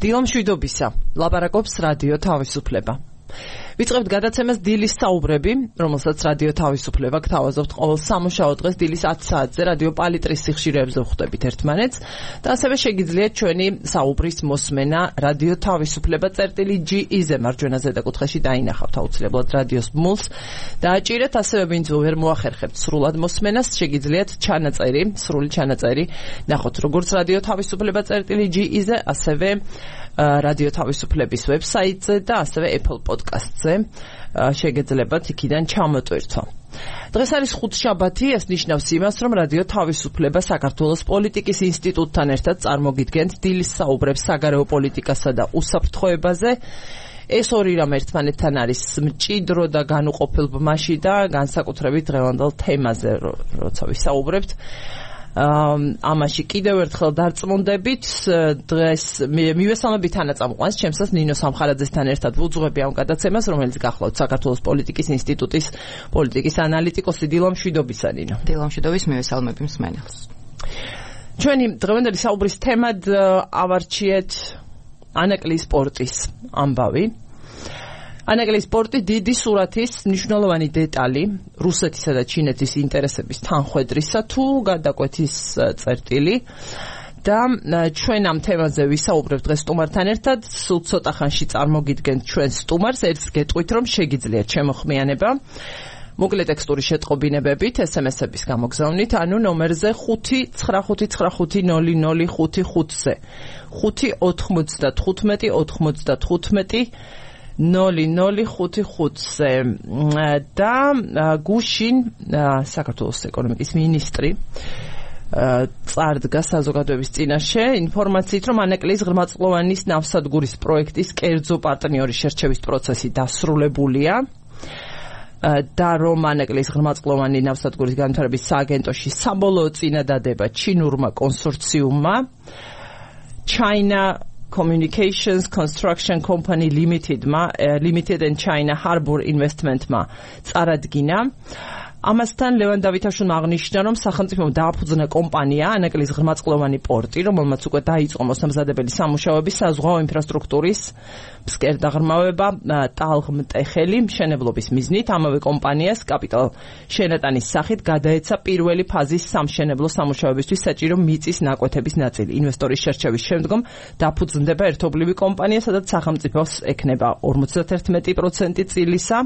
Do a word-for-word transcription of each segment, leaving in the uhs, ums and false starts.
დილო მშვიდობისა, ლაპარაკობს რადიო თავისუფლება. ვიწყებთ გადაცემას დილის საუბრები, რომელსაც რადიო თავისუფლება გთავაზობთ ყოველ სამუშაო დღეს დილის ათი საათზე რადიო პალიტრის სიხშირეებზე ვხვდებით ერთმანეთს და ასევე შეგიძლიათ ჩვენი საუბრის მოსმენა რადიო თავისუფლება წერტილი ჯი ი-ზე მარჯვენა ზედაკუთხეში დაინახავთ აუცილებლად რადიოს ბმულს დააჭირეთ, ასევე ვინც ვერ მოახერხებთ სრულად მოსმენას, შეგიძლიათ ჩანაწერი, სრული ჩანაწერი ნახოთ როგორც რადიო თავისუფლება წერტილი ჯი ი-ზე, ასევე რადიო თავისუფლების ვებსაიტზე და ასევე Apple Podcast-ზე შეგეძლებათ იქიდან ჩამოტვირთვა. დღეს არის ხუთშაბათი, ეს ნიშნავს იმას, რომ რადიო თავისუფლება საქართველოს პოლიტიკის ინსტიტუტთან ერთად წარმოგიდგენთ დილის საუბრებს საგარეო პოლიტიკასა და უსაფრთხოებაზე. ეს ორი რამ ერთმანეთთან არის მჭიდრო და განუყოფელ ბმაში და განსაკუთრებით დღევანდელ თემაზე, როცა ვისაუბრებთ. ამაში კიდევ ერთხელ დარწმუნდებით, დღეს მივესალმებით თანაწამყვანს, ჩემსაც ნინო სამხარაძესთან ერთად ვუძღვები ამ გადაცემას, რომელიც გახლავთ საქართველოს პოლიტიკის ინსტიტუტის პოლიტიკის ანალიტიკოსი. დილო მშვიდობისა, ნინო. დილო მშვიდობის, მივესალმები მსმენელს. ჩვენი დღევანდელი საუბრის თემად ავარჩიეთ ანაკლის სპორტის ამბავი. ანაკლის სპორტი დიდი სურათის მნიშვნელოვანი დეტალი რუსეთისა და ჩინეთის ინტერესების თანხვედრისა თუ გადაკვეთის წერტილი და ჩვენ ამ თემაზე ვისაუბრებთ დღეს სტუმართან ერთად. სულ ცოტა ხანში წარმოგიდგენთ ჩვენ სტუმარს, ერთს გეტყვით რომ შეგიძლიათ შემოხმიანება მოკლე ტექსტური შეტყობინებებით ეს ემ ეს-ების გამოგზავნით, ანუ ნომერზე ხუთი ცხრა ხუთი ცხრა ხუთი ნული ნული ხუთი ხუთზე ხუთი ოთხმოცდათხუთმეტი ოთხმოცდათხუთმეტი ნული ნული ხუთი ხუთზე და გუშინ საქართველოს ეკონომიკის მინისტრი წარდგა საზოგადოების წინაშე ინფორმაციით, რომ ანაკლის ღრმაწლოვანის ნავსადგურის პროექტის კერძო პარტნიორის შერჩევის პროცესი დასრულებულია და რომ ანაკლის ღრმაწლოვანი ნავსადგურის განვითარების სააგენტოში საბოლოო წინადადება ჩინურმა კონსორციუმმა China Communications Construction Company Limited-მა Limited and China Harbour Investment-მა წარადგინა. ამასთან ლევან დავითაშვილმა აღნიშნა, რომ სახელმწიფომ დააფუძნა კომპანია ანაკლის ღრმაწლოვანი პორტი, რომელმაც უკვე დაიწყო მოსამზადებელი სამუშაოები საზღვაო ინფრასტრუქტურის ფსკერდაღრმავება ტალღმტეხელი მშენებლობის მიზნით. ამავე კომპანიას კაპიტალ შენატანის სახით გადაეცა პირველი ფაზის სამშენებლო სამუშაოებისთვის საჭირო მიწის ნაკვეთების ნაწილი. ინვესტორის შერჩევის შემდგომ დაფუძნდება ერთობლივი კომპანია, სადაც სახელმწიფოს ექნება ორმოცდაერთმეტი პროცენტი წილისა,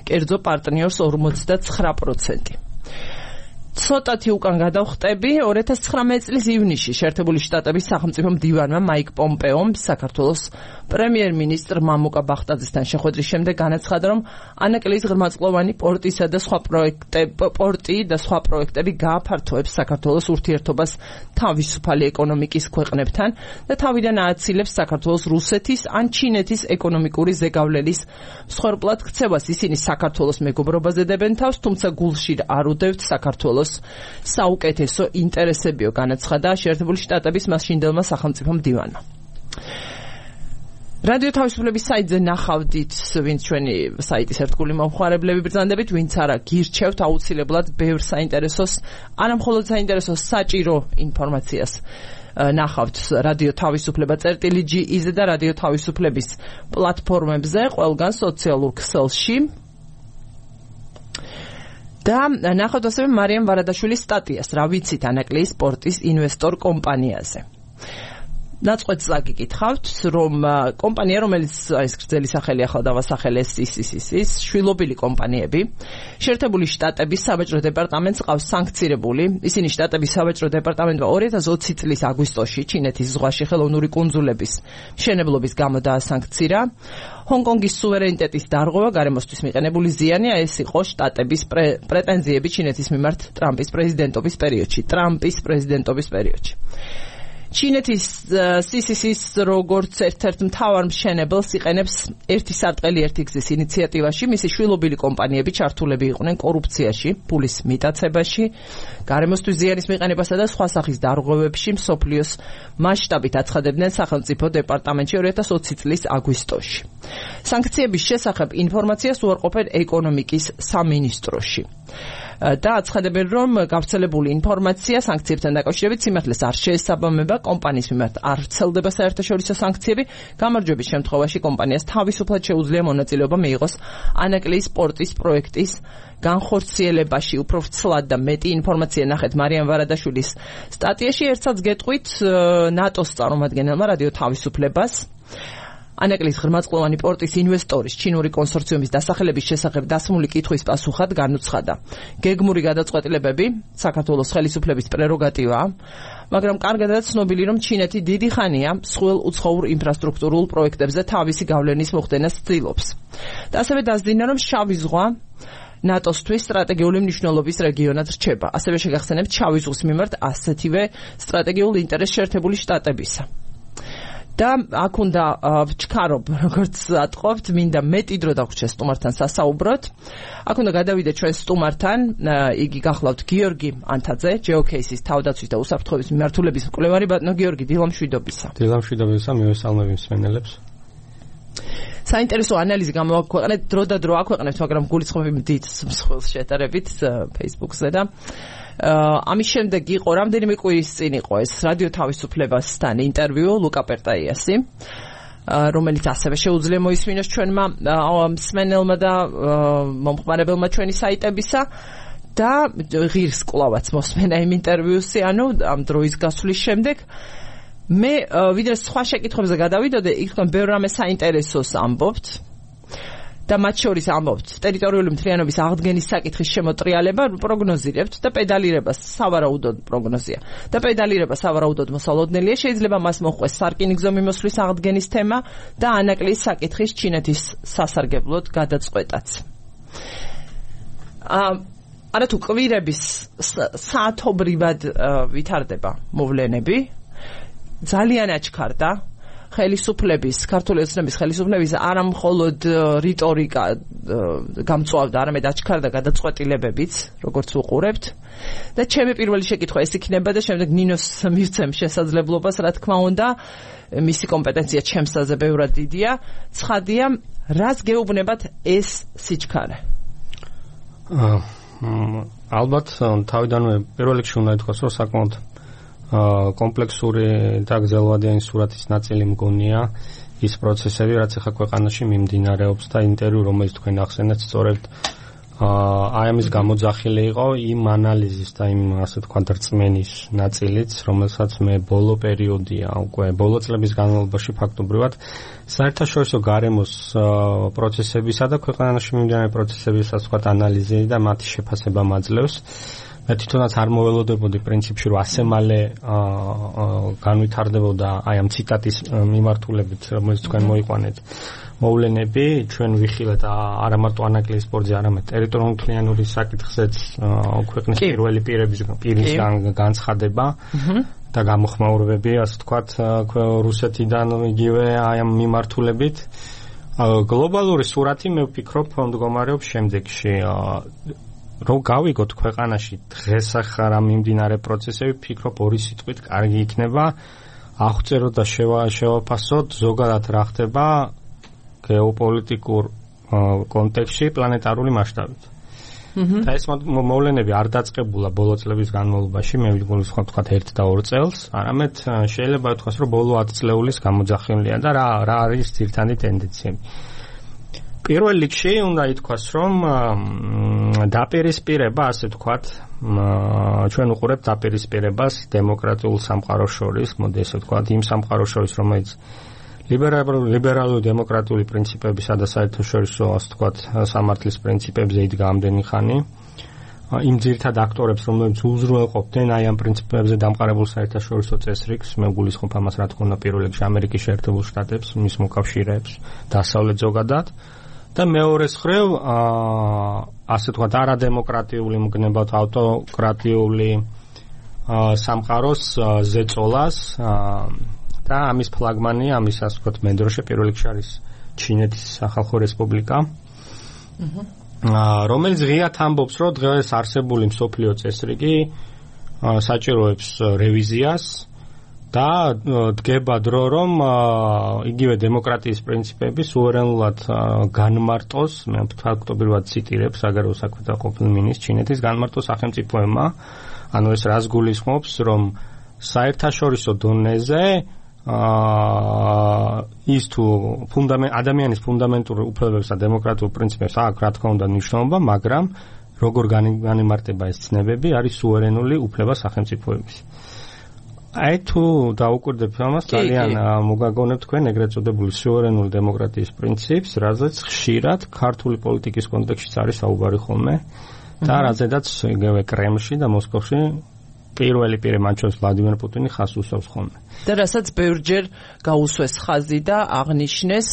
კერძო პარტნიორს ორმოცდაცხრა პროცენტი. ცოტათი უკან გადავხტები, ორი ათას ცხრამეტი წლის ივნისში შეერთებული შტატების სახელმწიფო მდივანმა მაიკ პომპეომ საქართველოს პრემიერ-მინისტრ მამუკა ბახტაძესთან შეხვედრის შემდეგ განაცხადა, რომ ანაკლის ღრმაწლოვანი პორტისა და სხვა პროექტები პორტი და სხვა პროექტები გააფართოებს საქართველოს ურთიერთობას თავისუფალი ეკონომიკის ქვეყნებთან და თავიდან ააცილებს საქართველოს რუსეთის ან ჩინეთის ეკონომიკური ზეგავლენის მსხვერპლად ქცევას. ისინი საქართველოს მეგობრობაზე დებენ თავს, თუმცა გულში არ უდევთ საქართველოს საუკეთესო ინტერესებიო, განაცხადა შეერთებული შტატების მასშინდელმა სახელმწიფო მდივანმა. რადიო თავისუფლების საიტზე ნახავდით, ვინც ჩვენი საიტის ერთგული მომხმარებლები ბრძანდებით, ვინც არა გირჩევთ აუცილებლად ბევრ საინტერესოს, არა მხოლოდ საინტერესოს, საჭირო ინფორმაციას ნახავთ რადიო თავისუფლება წერტილი ჯი ი-ზე და რადიო თავისუფლების პლატფორმებზე, ყველგან სოციალურ ქსელში. და ნახავთ ასევე მარიამ ვარადაშვილის სტატიას, რა ვიცით ანაკლის სპორტის ინვესტორ კომპანიაზე. ნაწყვეტს აგიკითხავთ, რომ კომპანია, რომელიც ეს გრძელი სახელი ახლა დავასახელეს ის ის ის ის შვილობილი კომპანიები, შეერთებული შტატების საბაჭრო დეპარტამენტს ყავს სანქცირებული. ისინი შტატების საბაჭრო დეპარტამენტმა ორი ათას ოცი წლის აგვისტოში ჩინეთის ზღვაში ხელოვნური კუნძულების მშენებლობის გამო დაასანქცირა. ჰონკონგის სუვერენიტეტის დარღვევა, გარემოსთვის მიყენებული ზიანი, ეს იყო შტატების პრეტენზიები ჩინეთის მიმართ ტრამპის პრეზიდენტობის პერიოდში. ტრამპის პრეზიდენტობის პერიოდში. ჩინეთის სი სი სი-ს როგორც ერთ-ერთ მთავარ მშენებელს იყენებს ერთი სარტყელი ერთი გზის ინიციატივაში. მისი შვილობილი კომპანიები ჩართულები იყვნენ კორუფციაში, ფულის მიტაცებაში, გარემოსთვის ზიანის მიყენებასა და სხვა სახის დარღვევებში მსოფლიოს მასშტაბით აცხადებდნენ სახელმწიფო დეპარტამენტში ორი ათას ოცი წლის აგვისტოში. სანქციების შესახებ ინფორმაციას უარყოფენ ეკონომიკის სამინისტროში. და აცხადებენ, რომ გავრცელებული ინფორმაცია სანქციებთან დაკავშირებით სიმართლეს არ შეესაბამება, კომპანიის მიმართ არ ვრცელდება საერთაშორისო სანქციები, გამარჯვების შემთხვევაში კომპანიას თავისუფლად შეუძლია მონაწილეობა მიიღოს ანაკლიის სპორტის პროექტის განხორციელებაში. უფრო ვრცლად და მეტი ინფორმაცია ნახეთ მარიამ ვარადაშვილის სტატიაში. ერთსაც გეტყვით ნატოს წარმომადგენელმა რადიო თავისუფლებას ანაკლიის ღრმაწლოვანი პორტის ინვესტორის ჩინური კონსორციუმის დასახელების შესახებ დასმული კითხვის პასუხად განუცხადა. გეგმური გადაწყვეტილებები საქართველოს ხელისუფლების პრეროგატივაა, მაგრამ კარგადაა ცნობილი, რომ ჩინეთი დიდი ხანია მსხვილ უცხოურ ინფრასტრუქტურულ პროექტებზე თავისი გავლენის მოხდენას ცდილობს. და ასევე დასძინა, რომ შავი ზღვა ნატოსთვის სტრატეგიული მნიშვნელობის რეგიონად რჩება. ასევე შეგახსენებთ შავი ზღვის მიმართ ასეთივე სტრატეგიულ ინტერესს შეერთებული შტატებისა. და აქ უნდა ვჩქარობ, როგორც ატყობთ, მინდა მეტი დრო დაგვრჩა სტუმართან სასაუბროთ. აქ უნდა გადავიდეთ ჩვენ სტუმართან, იგი გახლავთ გიორგი ანთაძე, ჯეოკეისის თავდაცვის და უსაფრთხოების მიმართულების მკვლევარი. ბატონო გიორგი, დილამშვიდობისა. დილამშვიდობისა, მივესალმები მსმენელებს. საინტერესო ანალიზი გამოაქვეყნეთ, დრო და დრო აქვეყნებთ, მაგრამ გულისხმობ იმდით მსხვილ შეტარებით Facebook-ზე და ამის შემდეგ იყო რამდენიმე კვირის წინ იყო ეს რადიო თავისუფლებასთან ინტერვიუ ლუკა პერტაიასი, რომელიც ასევე შეუძლია მოისმინოს ჩვენმა მსმენელმა და მომხმარებელმა ჩვენი საიტებისა და ღირს კლავაც მოსმენა იმ ინტერვიუსი, ანუ ამ დროის გასვლის შემდეგ. მე ვიდრე სხვა შეკითხვებზე გადავიდოდე, იქ თქვენ ბევრ რამე საინტერესოს ამბობთ და მათ შორის ამბობთ ტერიტორიული მთლიანობის აღდგენის საკითხის შემოტრიალება პროგნოზირებთ და პედალირება სავარაუდოდ პროგნოზია და პედალირება სავარაუდოდ მოსალოდნელია, შეიძლება მას მოჰყვეს სარკინიგზო მიმოსვლის აღდგენის თემა და ანაკლიის საკითხის ჩინეთის სასარგებლოდ გადაწყვეტაც. არა თუ კვირების საათობრივად ვითარდება მოვლენები, ძალიან აჩქარდა ხელისუფლების, ქართული ოცნების ხელისუფლების არა მხოლოდ რიტორიკა გამწვავდა, არამედ აჩქარდა გადაწყვეტილებებიც, როგორც ვუყურებთ. და ჩემი პირველი შეკითხვა ეს იქნება და შემდეგ ნინოს მივცემ შესაძლებლობას, რა თქმა უნდა, მისი კომპეტენცია ჩემსაზე ბევრად დიდია. ცხადია, რას გეუბნებათ ეს სიჩქარე? ალბათ თავიდანვე პირველ რიგში უნდა ითქვას, რომ საკმაოდ კომპლექსური და გრძელვადიანი სურათის ნაწილი მგონია ის პროცესები, რაც ახლა ქვეყანაში მიმდინარეობს და ინტერვიუ, რომელიც თქვენ ახსენეთ, სწორედ აი ამის გამოძახილი იყო იმ ანალიზის და იმ ასე ვთქვათ რწმენის ნაწილიც, რომელსაც მე ბოლო პერიოდია, უკვე ბოლო წლების განმავლობაში ფაქტობრივად საერთაშორისო გარემოს პროცესებისა და ქვეყანაში მიმდინარე პროცესების ასე ვთქვათ ანალიზი და მათი შეფასება მაძლევს. მე თვითონაც არ მოველოდებოდი პრინციპში, რომ ასე მალე განვითარდებოდა აი ამ ციტატის მიმართულებით, რომელიც თქვენ მოიყვანეთ მოვლენები, ჩვენ ვიხილეთ არა მარტო ანაკლიის სპორტზე, არამედ ტერიტორიული მთლიანობის საკითხზეც ქვეყნის პირველი პირების პირის განცხადება და გამოხმაურებები, ასე ვთქვათ, რუსეთიდან იგივე აი ამ მიმართულებით. გლობალური სურათი მე ვფიქრობ მდგომარეობს შემდეგში. რომ გავიგოთ ქვეყანაში დღეს ახლა მიმდინარე პროცესები, ვფიქრობ ორი სიტყვით კარგი იქნება აღწეროთ და შევაფასოთ ზოგადად რა ხდება გეოპოლიტიკურ კონტექსტში პლანეტარული მასშტაბით. და ეს მოვლენები არ დაწყებულა ბოლო წლების განმავლობაში, მე ვიგვი ვთქვათ ერთ და ორ წელს, არამედ შეიძლება ითქვას, რომ ბოლო ათი წლეულის გამოძახილია და რა რა არის ძირითადი ტენდენციები. პირველ რიგში უნდა ითქვას, რომ დაპირისპირება, ასე ვთქვათ, ჩვენ უყურებთ დაპირისპირებას დემოკრატიულ სამყაროს შორის, მოდი ესე ვთქვათ, იმ სამყაროს შორის, რომელიც ლიბერალური დემოკრატიული პრინციპებისა და საერთაშორისო, ასე ვთქვათ, სამართლის პრინციპებზე იდგა ამდენი ხანი. იმ ძირითად აქტორებს, რომლებიც უზრუნველყოფდნენ აი ამ პრინციპებზე დამყარებულ საერთაშორისო წესრიგს, მე გულისხმობ ამას, რა თქმა უნდა, პირველ რიგში ამერიკის შეერთებულ შტატებს, მის მოკავშირეებს, დასავლეთ ზოგადად. და მეორეს მხრივ, ასე ვთქვათ, არადემოკრატიული მგნებად ავტოკრატიული სამყაროს ზეწოლას და ამის ფლაგმანი, ამის ასე ვთქვათ, მენდროშე პირველ რიგში არის ჩინეთის სახალხო რესპუბლიკა, რომელიც ღიად ამბობს, რომ დღეს არსებული მსოფლიო წესრიგი საჭიროებს რევიზიას და დგება დრო, რომ იგივე დემოკრატიის პრინციპები სუვერენულად განმარტოს, მე ფაქტობრივად ციტირებ საგარეო საქმეთა ყოფილ მინისტრს, ჩინეთის განმარტო სახელმწიფოებმა, ანუ ეს რას გულისხმობს, რომ საერთაშორისო დონეზე ის თუ ფუნდამენტ ადამიანის ფუნდამენტურ უფლებებს და დემოკრატიულ პრინციპებს აქვს, რა თქმა უნდა, მნიშვნელობა, მაგრამ როგორ განიმარტება ეს ცნებები, არის სუვერენული უფლება სახელმწიფოების. აი თუ დაუკვირდებ ამას, ძალიან მოგაგონებ თქვენ ეგრეთ წოდებული სუვერენული დემოკრატიის პრინციპს, რაზეც ხშირად ქართული პოლიტიკის კონტექსტშიც არის საუბარი ხოლმე და რაზედაც იგივე კრემლში და მოსკოვში პირველი პირი მათ შორის ვლადიმერ პუტინი ხაზს უსვამს ხოლმე. და რასაც ბევრჯერ გაუსვეს ხაზი და აღნიშნეს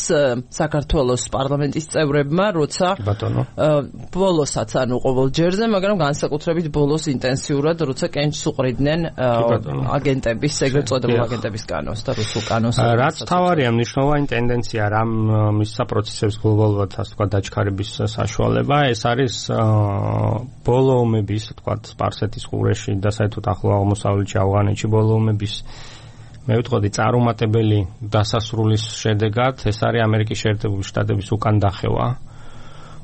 საქართველოს პარლამენტის წევრებმა, როცა ბოლოსაც ანუ ყოველ ჯერზე, მაგრამ განსაკუთრებით ბოლოს ინტენსიურად, როცა კენჭს უყრიდნენ აგენტების, ეგრეთ წოდებულ აგენტების კანონს და რუსულ კანონს. რაც თავარია მნიშვნელოვანი ტენდენცია, რამ მისცა პროცესებს გლობალურად, ასე ვთქვათ, დაჩქარების საშუალება, ეს არის ბოლო ომების, ვთქვათ, სპარსეთის ყურეში და საერთოდ ახლო აღმოსავლეთში, ავღანეთში ბოლო ომების მე ვიტყოდი წარუმატებელი დასასრულის შედეგად ეს არის ამერიკის შეერთებული შტატების უკან დახევა.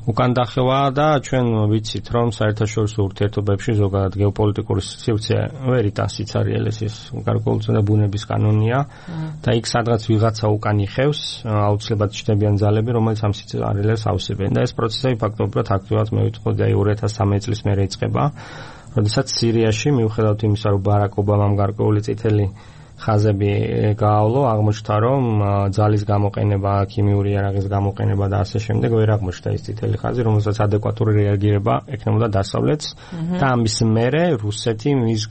უკან დახევა და ჩვენ ვიცით, რომ საერთაშორისო ურთიერთობებში ზოგადად გეოპოლიტიკური სივრცე ვერ იტანს სიცარიელეს, ის გარკვეულწილად და ბუნების კანონია და იქ სადღაც ვიღაცა უკან იხევს, აუცილებლად ჩნდებიან ძალები, რომელიც ამ სიცარიელეს ავსებენ და ეს პროცესები ფაქტობრივად აქტიურად მე ვიტყოდი აი ორი ათას სამი წლის მერე იწყება, როდესაც სირიაში მიუხედავად იმისა, რომ ბარაკ ობამამ გარკვეული წითელი ხაზები გაავლო, აღმოჩნდა, რომ ძალის გამოყენება, ქიმიური იარაღის გამოყენება და ასე შემდეგ ვერ აღმოჩნდა ის წითელი ხაზი, რომელსაც ადეკვატური რეაგირება ექნებოდა დასავლეთს და ამის მერე რუსეთი მის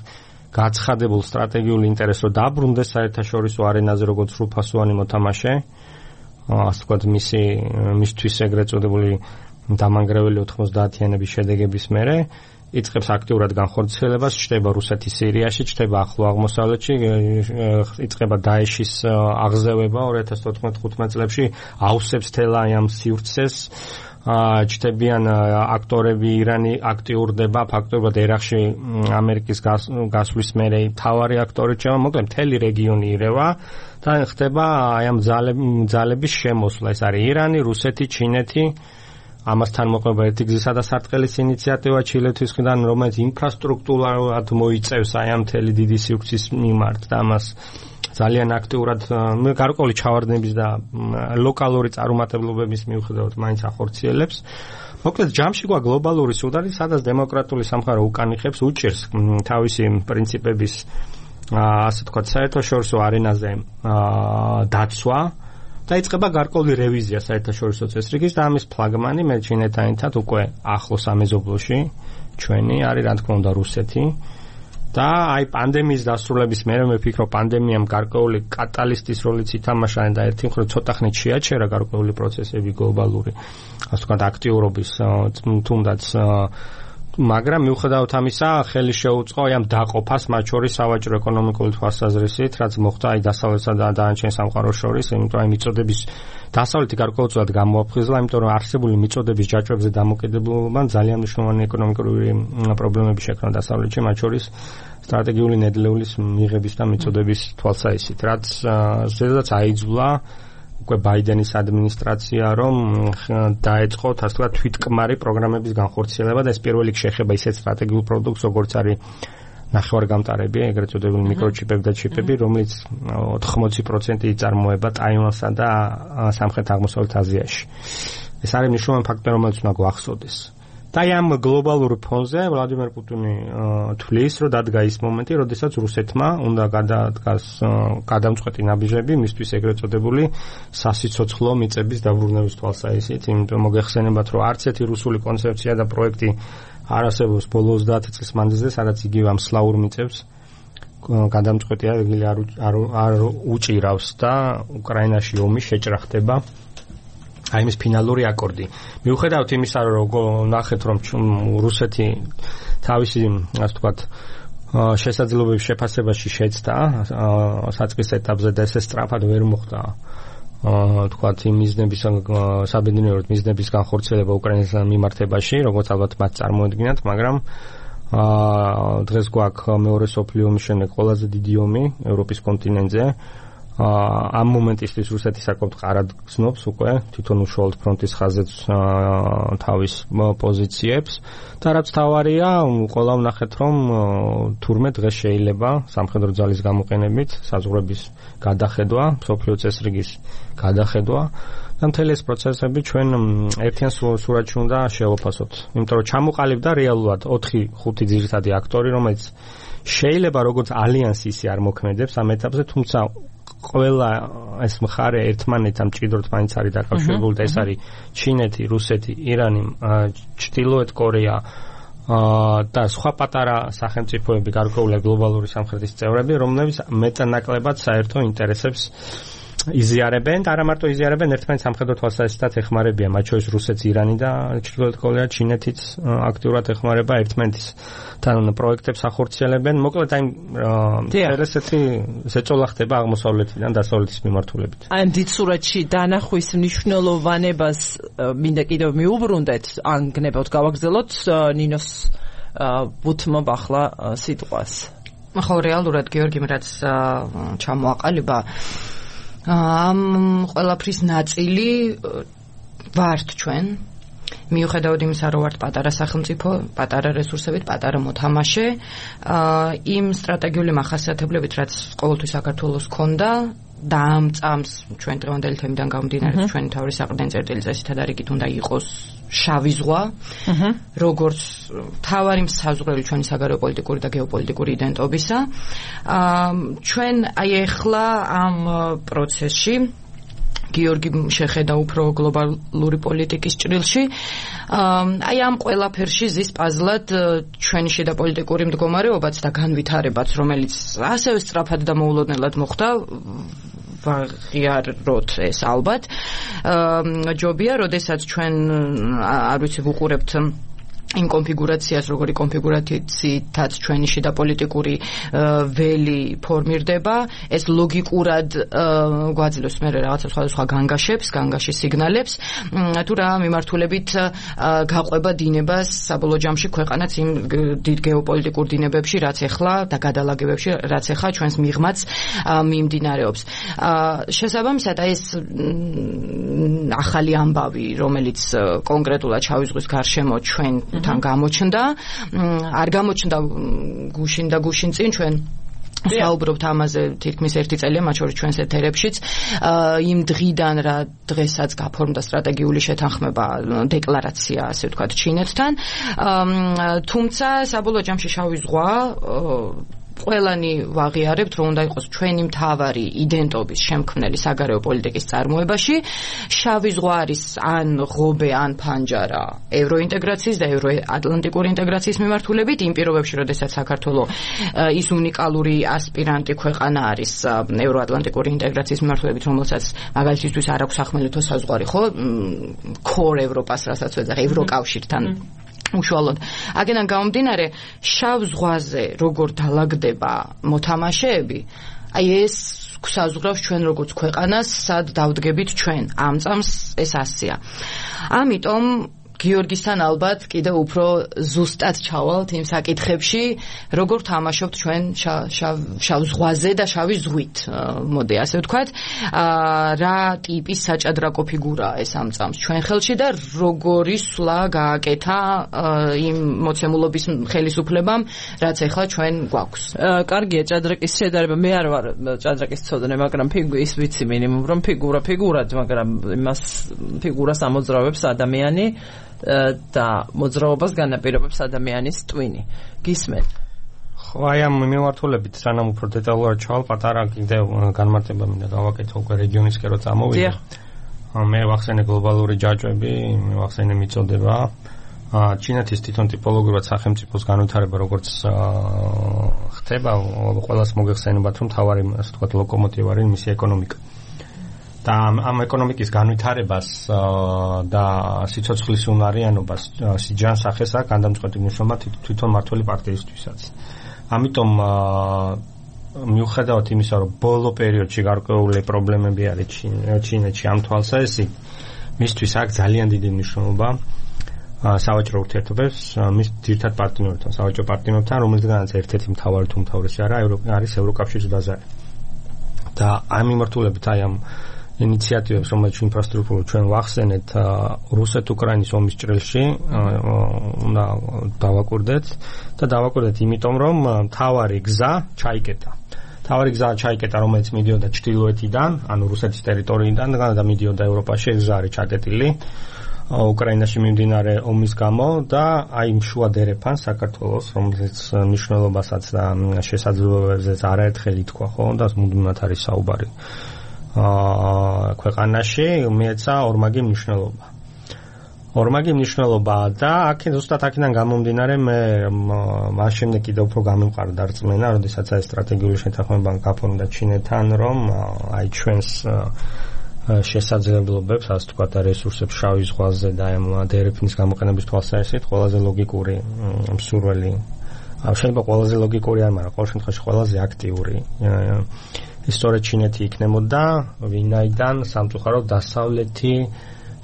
გაცხადებულ სტრატეგიულ ინტერესს რო დაბრუნდეს საერთაშორისო არენაზე როგორც სრულფასოვანი მოთამაშე, ასე ვთქვათ, მისი მისთვის ეგრეთ წოდებული დამანგრეველი ოთხმოცდაათიანების შედეგების მერე იწყებს აქტიურად განხორციელებას, ჩნდება რუსეთი სირიაში, ჩნდება ახლო აღმოსავლეთში, იწყება დაეშის აღზევება ორი ათას თოთხმეტ ხუთმეტ წლებში, ავსებს თელა ამ სივრცეს, ჩნდებიან აქტორები, ირანი აქტიურდება, ფაქტობრივად ერაყში ამერიკის გასვლის მერე მთავარი აქტორი ჩება, მოკლედ მთელი რეგიონი ირევა და ხდება აი ამ ძალების შემოსვლა, ეს არის ირანი, რუსეთი, ჩინეთი, ამასთან მოყვება ერთი გზისა და სარტყელის ინიციატივა ჩილეთის მხრიდან, რომელიც ინფრასტრუქტურულად მოიწევს აი ამ მთელი დიდი სივრცის მიმართ და ამას ძალიან აქტიურად გარკვეული ჩავარდნების და ლოკალური წარუმატებლობების მიუხედავად მაინც ახორციელებს. მოკლედ ჯამში გვა გლობალური სუდარი, სადაც დემოკრატიული სამყარო უკან იხებს, უჭერს თავისი პრინციპების ასე ვთქვათ საერთაშორისო არენაზე დაცვა და იწყება გარკვეული რევიზია საერთაშორისო წესრიგის და ამის ფლაგმანი მე ჩინეთთან ერთად უკვე ახლოს ამეზობლოში ჩვენი არის რა თქმა უნდა რუსეთი და აი პანდემიის დასრულების მერე მე ვფიქრობ პანდემიამ გარკვეული კატალისტის როლიც ითამაშა და ერთი მხრივ ცოტა ხნით შეაჩერა გარკვეული პროცესები გლობალური ასე ვთქვათ აქტიურობის თუნდაც მაგრამ მიუხედავად ამისა ხელი შეუწყო აი ამ დაყოფას მათ შორის სავაჭრო ეკონომიკური თვალსაზრისით, რაც მოხდა აი დასავლეთსა და დანარჩენ სამყაროს შორის, იმიტომ აი მიწოდების დასავლეთი გარკვეულწილად გამოაფხიზლა, იმიტომ რომ არსებული მიწოდების ჯაჭვებზე დამოკიდებულებამ ძალიან მნიშვნელოვანი ეკონომიკური პრობლემები შექმნა დასავლეთში, მათ შორის სტრატეგიული ნედლეულის მიღების და მიწოდების თვალსაზრისით, რაც ზედაც აიძულა უკვე ბაიდენის ადმინისტრაცია რომ დაეწყო ასე ვთქვათ თვითკმარი პროგრამების განხორციელება და ეს პირველ რიგში ეხება ისეთ სტრატეგიულ პროდუქტს როგორც არის ნახევარგამტარები, ეგრეთ წოდებული მიკროჩიპები და ჩიპები, რომელიც ოთხმოცი პროცენტი იწარმოება ტაივანსა და სამხრეთ აღმოსავლეთ აზიაში. ეს არის მნიშვნელოვანი ფაქტორი, რომელიც უნდა გვახსოვდეს. და ამ გლობალურ ფონზე ვლადიმერ პუტინი თვლის, რომ დადგა ის მომენტი, როდესაც რუსეთმა უნდა გადადგას გადამწყვეტი ნაბიჯები მისთვის ეგრეთ წოდებული სასიცოცხლო მიწების დაბრუნების თვალსაზრისით, იმიტომ მოგეხსენებათ, რომ არც ერთი რუსული კონცეფცია და პროექტი არ არსებობს ბოლო ოცდაათი წლის მანძილზე, სადაც იგივე ამ სლავურ მიწებს გადამწყვეტი არ არ უჭირავს და უკრაინაში ომი შეჭრახდება. აი ეს ფინალური აკორდი. მიუხედავად იმისა, რომ ნახეთ, რომ რუსეთი თავისი, ასე ვთქვათ, შესაძლებლობების შეფასებაში შეცდა საწყის ეტაპზე და ეს სწრაფად ვერ მოხდა. ვთქვათ, იმ მიზნების საბედნიეროდ მიზნების განხორციელება უკრაინის მიმართებაში, როგორც ალბათ მათ წარმოედგინათ, მაგრამ აა დღეს გვაქვს მეორე სოფლიო ომის შემდეგ ყველაზე დიდი ომი ევროპის კონტინენტზე. ამ მომენტისთვის რუსეთი საკმაოდ ყარად გრძნობს უკვე თვითონ უშუალოდ ფრონტის ხაზეც თავის პოზიციებს და რაც თავარია, ყველა ვნახეთ რომ თურმე დღეს შეიძლება სამხედრო ძალის გამოყენებით საზღვრების გადახედვა, მსოფლიო წესრიგის გადახედვა და მთელი ეს პროცესები ჩვენ ერთიან სურათში უნდა შევაფასოთ. იმიტომ რომ ჩამოყალიბდა რეალურად ოთხი ხუთი ძირითადი აქტორი, რომელიც შეიძლება როგორც ალიანსი ისე არ მოქმედებს ამ ეტაპზე, თუმცა ყველა ეს მხარე ერთმანეთთან მჭიდროდ მაინც არის დაკავშირებული და ეს არის ჩინეთი, რუსეთი, ირანი, ჩრდილოეთ კორეა და სხვა პატარა სახელმწიფოები, გარკვეული გლობალური სამხრეთის წევრები, რომლებიც მეტანაკლებად საერთო ინტერესებს იზიარებენ და არა მარტო იზიარებენ, ერთმანეთს სამხედრო თვალსაზრისით ეხმარებიან, მათ შორის რუსეთს, ირანი და ჩრდილოეთ კორეა, ჩინეთიც აქტიურად ეხმარება ერთმანეთის თან პროექტებს ახორციელებენ. მოკლედ აი ინტერესეთი ზეწოლა ხდება აღმოსავლეთიდან დასავლეთის მიმართულებით. აი დიდ სურათში დანახვის მნიშვნელოვანებას მინდა კიდევ მიუბრუნდეთ, ან გნებავთ გავაგრძელოთ ნინოს ბუთმობ ახლა სიტყვას. ხო, რეალურად გიორგიმ რაც ჩამოაყალიბა ამ ყველაფრის ნაწილი ვართ ჩვენ, მიუხედავად იმისა, რომ ვართ პატარა სახელმწიფო, პატარა რესურსებით, პატარა მოთამაშე, იმ სტრატეგიული მახასიათებლებით, რაც ყოველთვის საქართველოს ჰქონდა და ამ წამს ჩვენ დღევანდელი თემიდან გამომდინარე, ჩვენი თავი საყრდენი წერტილი წესითად არიგით უნდა იყოს შავი ზღვა, როგორც თავარი საზღვრები ჩვენი საგარეო პოლიტიკური და გეოპოლიტიკური იდენტობისა. ჩვენ აი ახლა ამ პროცესში გიორგი შეხედა უფრო გლობალური პოლიტიკის ჭრილში. აი ამ ყველაფერში ზის პაზლად ჩვენი შიდა პოლიტიკური მდგომარეობაც და განვითარებაც, რომელიც ასევე სწრაფად და მოულოდნელად მოხდა, ვაღიაროთ ეს ალბათ. ჯობია, როდესაც ჩვენ არ ვიცი ვუყურებთ იმ კონფიგურაციას, როგორი კონფიგურაციითაც ჩვენი შიდა პოლიტიკური ველი ფორმირდება, ეს ლოგიკურად გვაძლევს მე რაღაცა სხვადასხვა განგაშებს, განგაშის სიგნალებს, თუ რა მიმართულებით გაყვება დინებას საბოლოო ჯამში ქვეყანაც იმ დიდ გეოპოლიტიკურ დინებებში, რაც ახლა და გადალაგებებში, რაც ახლა ჩვენს მიღმაც მიმდინარეობს. შესაბამისად, ეს ახალი ამბავი, რომელიც კონკრეტულად შავი ზღვის გარშემო ჩვენ თან გამოჩნდა, არ გამოჩნდა გუშინ და გუშინ წინ ჩვენ საუბრობთ ამაზე თითქმის ერთი წელია, მათ შორის ჩვენს ეთერებშიც, იმ დღიდან რა დღესაც გაფორმდა სტრატეგიული შეთანხმება, დეკლარაცია, ასე ვთქვათ, ჩინეთთან. თუმცა საბოლოო ჯამში შავი ზღვა ყველანი ვაღიარებთ, რომ უნდა იყოს ჩვენი მთავარი იდენტობის შემქმნელი საგარეო პოლიტიკის წარმოებაში. შავი ზღვა არის ან ღობე, ან ფანჯარა ევროინტეგრაციის და ევროატლანტიკური ინტეგრაციის მიმართულებით, იმ პირობებში, როდესაც საქართველოს ის უნიკალური ასპირანტი ქვეყანა არის ევროატლანტიკური ინტეგრაციის მიმართულებით, რომელსაც მაგალითისთვის არ აქვს სახმელეთო საზღვარი, ხო? ქორ ევროპას, რასაც ვეძახ, ევროკავშირთან უშუალოდ. აგენან გამომდინარე, შავ ზღვაზე როგორ დალაგდება მოთამაშეები, აი ეს გვსაზღვრავს ჩვენ როგორც ქვეყანას, სად დავდგებით ჩვენ. ამ წამს ეს ასია. ამიტომ გიორგისთან ალბათ კიდევ უფრო ზუსტად ჩავალთ იმ საკითხებში, როგორ თამაშობთ ჩვენ შავ ზღვაზე და შავი ზღვით, მოდი ასე ვთქვათ, რა ტიპის საჭადრაკო ფიგურაა ეს ამ წამს ჩვენ ხელში და როგორი სვლა გააკეთა იმ მოცემულობის ხელისუფლებამ, რაც ახლა ჩვენ გვაქვს. კარგია, ჭადრაკის შედარება, მე არ ვარ ჭადრაკის ცოდნე, მაგრამ ის ვიცი მინიმუმ, რომ ფიგურა ფიგურად, მაგრამ იმას ფიგურას ამოძრავებს ადამიანი და მოძრაობას განაპირობებს ადამიანის ტვინი. გისმენთ? ხო, აი ამ მიმართულებით სანამ უფრო დეტალურად ჩავალ, პატარა კიდევ განმარტება მინდა გავაკეთო უკვე რეგიონისკენ რო წამოვიდე. მე ვახსენე გლობალური ჯაჭვები, მე ვახსენე მიწოდება. ჩინეთის თვითონ ტიპოლოგიურად სახელმწიფოს განვითარება როგორც ხდება, ყველას მოგეხსენებათ, რომ თავარი, ასე ვთქვათ, ლოკომოტივი არის მისი ეკონომიკა. და ამ ეკონომიკის განვითარებას და სიცოცხლის უნარიანობას სიჯანს სახეს აქვს გადამწყვეტი მნიშვნელობა თვითონ მმართველი პარტიისთვისაც. ამიტომ მიუხედავად იმისა, რომ ბოლო პერიოდში გარკვეული პრობლემები არის ჩინეთში ამ თვალსაზრისით, მისთვის აქვს ძალიან დიდი მნიშვნელობა სავაჭრო ურთიერთობებს მის ძირითად პარტნიორთან, სავაჭრო პარტნიორთან, რომელთაგანაც ერთ-ერთი მთავარი თუ მთავრესი არა არის ევროკავშირის ბაზარი. და ამ მიმართულებით აი ამ ინიციატივებს, რომელიც ინფრასტრუქტურულ ჩვენ ვახსენეთ რუსეთ-უკრაინის ომის ჭრილში, უნდა დავაკვირდეთ და დავაკვირდეთ იმიტომ, რომ მთავარი გზა ჩაიკეტა. მთავარი გზა ჩაიკეტა, რომელიც მიდიოდა ჩრდილოეთიდან, ანუ რუსეთის ტერიტორიიდან და მიდიოდა ევროპაში, ეს გზა არის ჩაკეტილი უკრაინაში მიმდინარე ომის გამო და აი იმ შუა დერეფან საქართველოს, რომელიც მნიშვნელობასაც და შესაძლებლობებზეც არაერთხელ ითქვა, ხო, და მუდმივად არის საუბარი. აა ქვეყანაში მეეცა ორმაგი მნიშვნელობა. ორმაგი მნიშვნელობა და აქ ზუსტად აქედან გამომდინარე მე მას შემდეგ კიდევ უფრო გამიმყარდა რწმენა, როდესაც აი სტრატეგიული შეთანხმება გაფორმდა ჩინეთთან, რომ აი ჩვენს შესაძლებლობებს, ასე ვთქვათ, რესურსებს შავი ზღვაზე და ამ დერეფნის გამოყენების თვალსაზრისით ყველაზე ლოგიკური მსურველი, შეიძლება ყველაზე ლოგიკური არ, მაგრამ ყოველ შემთხვევაში ყველაზე აქტიური ისტორია ჩინეთი იქნებოდა, ვინაიდან სამწუხაროდ დასავლეთი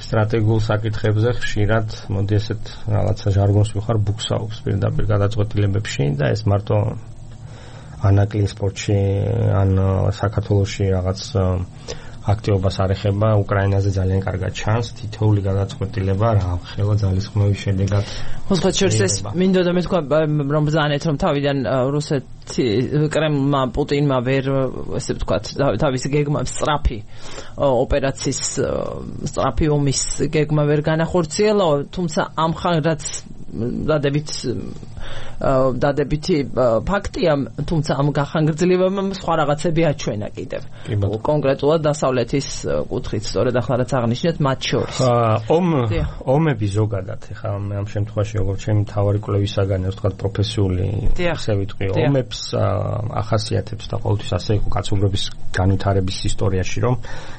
სტრატეგიულ საკითხებზე ხშირად, მოდი ესეთ რაღაცა ჟარგონს ვიხარ, ბუქსაობს პირდაპირ გადაწყვეტილებებში და ეს მარტო ანაკლი სპორტში ან საქართველოში რაღაც აქტივობას არ ეხება, უკრაინაზე ძალიან კარგად ჩანს თითოეული გადაწყვეტილება რა ხელა ძალისხმევის შედეგად. მოხდა შორს ეს მინდოდა მე თქვა რომ ბრძანეთ რომ თავიდან რუსეთი კრემლმა პუტინმა ვერ ესე ვთქვათ თავის გეგმა სწრაფი ოპერაციის სწრაფი ომის გეგმა ვერ განახორციელა, თუმცა ამ ხანრაც დადებით დადებითი ფაქტია, თუმცა ამ გახანგრძლივებამ სხვა რაღაცები აჩვენა კიდევ. კონკრეტულად დასავლეთის კუთხით, სწორედ ახლა რაც აღნიშნეთ, მათ შორის. ომ ომები ზოგადად, ეხლა მე ამ შემთხვევაში როგორც ჩემი მთავარი კვლევისაგანი, ასე ვთქვათ, პროფესიული ისე ვიტყვი, ომებს ახასიათებს და ყოველთვის ასე იყო კაცობრიობის განვითარების ისტორიაში, რომ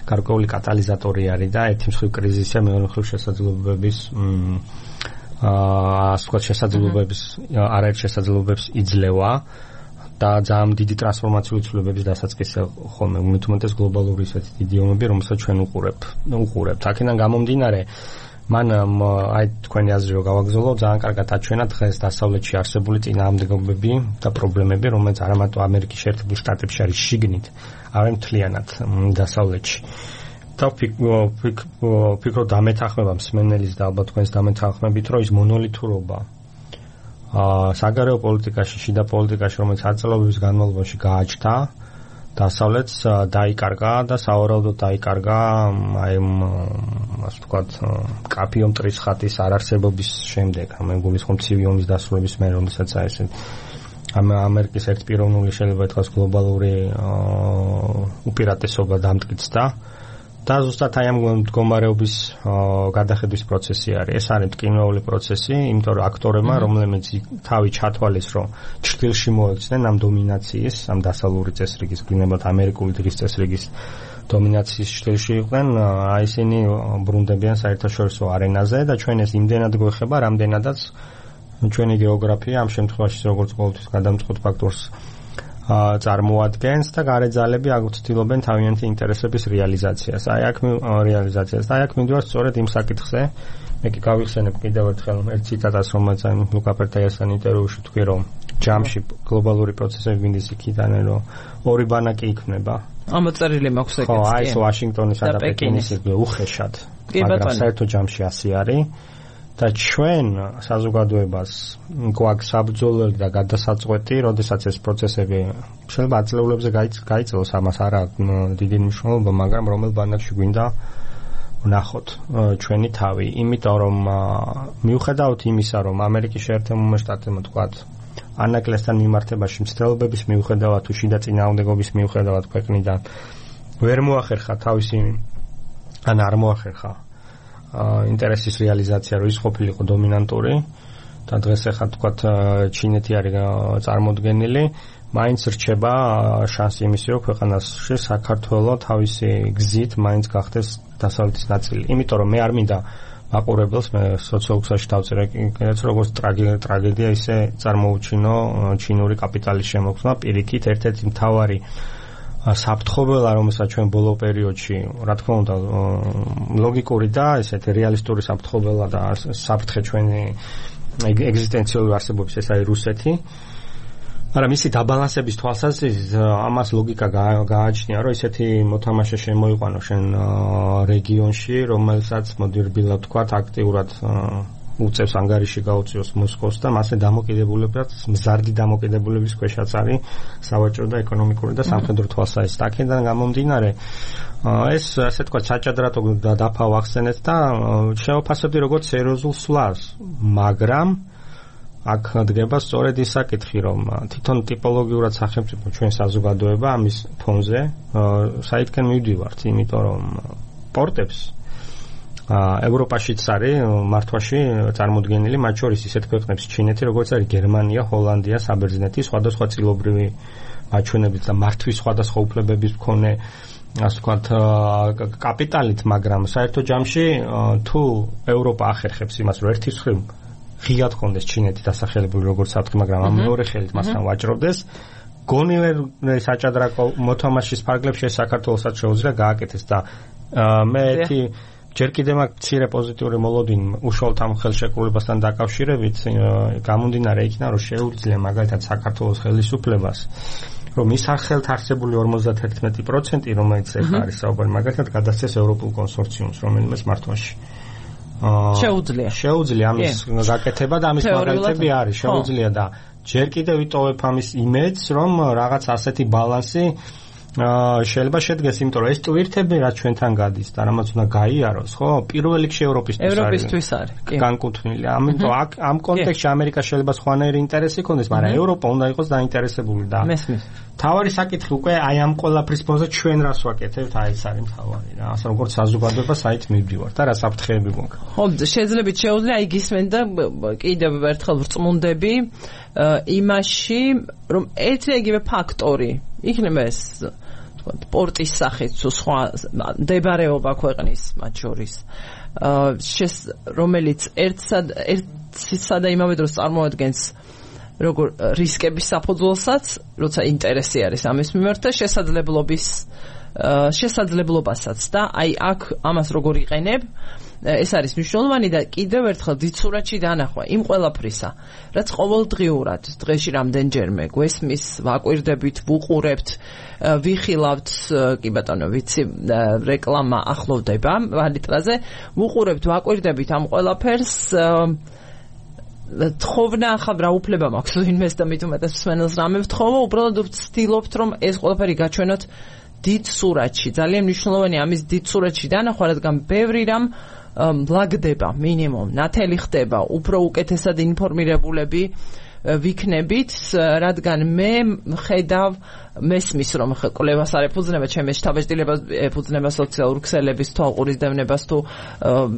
გარკვეული კატალიზატორი არის და ერთი მხრივ კრიზისია, მეორე მხრივ შესაძლებლობების აა ასე ვთქვათ, შესაძლებლობების არაერთ შესაძლებლობებს იძლევა და ძალიან დიდი ტრანსფორმაციული ცვლილებების დასაწყისია ხოლმე, მით უმეტეს გლობალური ისეთი დიდი ომები, რომელსაც ჩვენ უყურებთ. უყურებთ. აქედან გამომდინარე, მან აი თქვენი აზრი რო გავაგზავნო, ძალიან კარგად აჩვენა დღეს დასავლეთში არსებული წინააღმდეგობები და პრობლემები, რომელიც არა მარტო ამერიკის შეერთებულ შტატებში არის შიგნით, არამედ მთლიანად დასავლეთში. და ვფიქრობ დამეთანხმება მსმენელის და ალბათ თქვენს დამეთანხმებით, რომ ის მონოლითურობა აა საგარეო პოლიტიკაში, შიდა პოლიტიკაში, რომელიც ათწლეულების განმავლობაში გააჩნდა, დასავლეთს დაიკარგა და სავარაუდოდ დაიკარგა აი ასე ვთქვათ, კაფიო მტრის ხატის არარსებობის შემდეგ, ამ გულისხმობ ცივი ომის დასრულების მერე, რომელსაც აი ესე ამ ამერიკის ერთპიროვნული შეიძლება ითქვას გლობალური უპირატესობა დამტკიცდა. და ზუსტად აი ამ მდგომარეობის გადახედვის პროცესი არის. ეს არის მტკივნეული პროცესი, იმიტომ რომ აქტორებმა, რომლებიც თავი ჩათვალეს, რომ ჩრდილში მოექცნენ ამ დომინაციის, ამ დასავლური წესრიგის, გინებათ ამერიკული დღის წესრიგის დომინაციის ჩრდილში იყვნენ, აი ისინი ბრუნდებიან საერთაშორისო არენაზე და ჩვენ ეს იმდენად გვეხება, რამდენადაც ჩვენი გეოგრაფია ამ შემთხვევაში როგორც ყოველთვის გადამწყვეტ ფაქტორს წარმოადგენს და გარეძალები აგუცდილობენ თავიანთი ინტერესების რეალიზაციას. აი აქ რეალიზაციას და აი აქ მივიდივარ სწორედ იმ საკითხზე. მე კი გავიხსენებ კიდევ ერთხელ ერთ ციტატას, რომელიც აი ლუკა პერტაიასთან ინტერვიუში თქვი, რომ ჯამში გლობალური პროცესები მინდის იქიდან, რომ ორი ბანაკი იქმნება. ამოწერილი მაქვს ეგეც. ხო, აი ეს ვაშინგტონისა და პეკინის უხეშად. მაგრამ საერთო ჯამში ასე არის. და ჩვენ საზოგადოებას გვაქვს საბრძოლელი და გადასაწყვეტი, როდესაც ეს პროცესები შეიძლება ათწლეულებზე გაიწელოს, ამას არ აქვს დიდი მნიშვნელობა, მაგრამ რომელ ბანაკში გვინდა ვნახოთ ჩვენი თავი, იმიტომ რომ მიუხედავად იმისა, რომ ამერიკის შეერთებულმა შტატებმა თქვათ ანაკლესთან მიმართებაში მცდელობების მიუხედავად თუ შიდა წინააღმდეგობის მიუხედავად ქვეყნიდან ვერ მოახერხა თავისი ან არ მოახერხა ინტერესის რეალიზაცია, რომ ის ყოფილიყო დომინანტური და დღეს ახლა თქვათ ჩინეთი არის წარმოდგენილი, მაინც რჩება შანსი იმისი, რომ ქვეყანაში საქართველო თავისი გზით მაინც გახდეს დასავლეთის ნაწილი. იმიტომ რომ მე არ მინდა მაყურებელს, მე სოციოლოგიაში დავწერე კიდეც როგორც ტრაგედია ისე წარმოუჩინო ჩინური კაპიტალის შემოქმედება, პირიქით ერთ-ერთი მთავარი საფრთხობელა, რომელსაც ჩვენ ბოლო პერიოდში, რა თქმა უნდა, ლოგიკური და ესეთი რეალისტური საფრთხობელა და საფრთხე ჩვენი ეგზისტენციური არსებობის, ეს არის რუსეთი. მაგრამ მისი დაბალანსების თვალსაზრისით ამას ლოგიკა გააჩნია, რომ ესეთი მოთამაშე შემოიყვანო შენ რეგიონში, რომელსაც მოდი რბილად ვთქვათ, აქტიურად უწევს ანგარიში გაუწიოს მოსკოვს და მასე დამოკიდებულებას, მზარდი დამოკიდებულების ქვეშაც არის სავაჭრო და ეკონომიკური და სამხედრო თვალსაზრისით. აქედან გამომდინარე, ეს ასე თქვა საჭადრათო დაფა ვახსენეთ და შევაფასებდი როგორც სერიოზულ სვლას, მაგრამ აქ დგება სწორედ ის საკითხი, რომ თვითონ ტიპოლოგიურად სახელმწიფო ჩვენ საზოგადოება ამის ფონზე საითკენ მივდივართ, იმიტომ რომ პორტებს ევროპაშიც არის მართვაში წარმოდგენილი, მათ შორის ისეთ ქვეყნებს ჩინეთი, როგორც არის გერმანია, ჰოლანდია, საბერძნეთი, სხვადასხვა წილობრივი მაჩვენებლით და მართვის სხვადასხვა უფლებების მქონე, ასე ვთქვათ, კაპიტალით, მაგრამ საერთო ჯამში თუ ევროპა ახერხებს იმას, რომ ერთის მხრივ ღიად ხონდეს ჩინეთი დასახელებული როგორც საფრთხე, მაგრამ ამ მეორე ხელით მასთან ვაჭრობდეს, გონივერ საჭადრაკო მოთამაშის ფარგლებში საქართველოსაც შეუძლია გააკეთეს და მე ერთი ჯერ კიდევ მაქვს მცირე პოზიტიური მოლოდინი უშუალოდ ამ ხელშეკრულებასთან დაკავშირებით, გამომდინარე იქიდან, რომ შეუძლია მაგალითად საქართველოს ხელისუფლებას, რომ ის ხელთ არსებული ორმოცდაათი პროცენტი, რომელიც ახლა არის საუბარი, მაგალითად გადასცეს ევროპულ კონსორციუმს, რომელმაც მართვაში შეუძლია შეუძლია ამის გაკეთება და ამის მაგალითები არის, შეუძლია და ჯერ კიდევ ვიტოვებ ამის იმედს, რომ რაღაც ასეთი ბალანსი შეიძლება შედგეს, იმიტომ რომ ეს ტვირთები რაც ჩვენთან გადის და რამაც უნდა გაიაროს, ხო? პირველ რიგში ევროპისთვის არის. ევროპისთვის არის. კი. განკუთვნილი. ამიტომ აქ ამ კონტექსტში ამერიკა შეიძლება სხვანაირი ინტერესი ჰქონდეს, მაგრამ ევროპა უნდა იყოს დაინტერესებული და მესმის. თავარი საკითხი უკვე აი ამ ყველაფრის ფონზე ჩვენ რას ვაკეთებთ, აი ეს არის თავარი რა. ასე როგორც საზოგადოება საით მივდივართ და რა საფრთხეები გვაქვს. ხო, შეიძლება შეუძლია აი გისმენ და კიდევ ერთხელ ვრწმუნდები იმაში, რომ ერთ-ერთი ფაქტორი იქნება ეს პორტის სახით თუ სხვა მდებარეობა ქვეყნის მათ შორის, რომელიც ერთსა ერთსა და იმავე დროს წარმოადგენს როგორ რისკების საფუძველსაც, როცა ინტერესი არის ამის მიმართ და შესაძლებლობის შესაძლებლობასაც და აი აქ ამას როგორ იყენებ, ეს არის მნიშვნელოვანი და კიდევ ერთხელ დიცურათში დანახვა იმ ყველაფრისა, რაც ყოველდღიურად დღეში რამდენჯერმე გვესმის, ვაკვირდებით, ვუყურებთ, ვიხილავთ, კი ბატონო, ვიცი, რეკლამა ახლოვდება ვალიტრაზე, ვუყურებთ, ვაკვირდებით ამ ყველაფერს, თხოვნა ახლა რა უფლება მაქვს ვინმეს და მით უმეტეს მსმენელს რამე ვთხოვო, უბრალოდ ვცდილობთ, რომ ეს ყველაფერი გაჩვენოთ დიდ სურათში, ძალიან მნიშვნელოვანი ამის დიდ სურათში დანახვა, რადგან ბევრი რამ ლაგდება მინიმუმ, ნათელი ხდება, უფრო უკეთესად ინფორმირებულები ვიქნებით, რადგან მე ხედავ მესმის, რომ კვლევას არ ეფუძნება, ჩემს შთაბეჭდილებას ეფუძნება სოციალურ ქსელების თვალყურის დევნებას თუ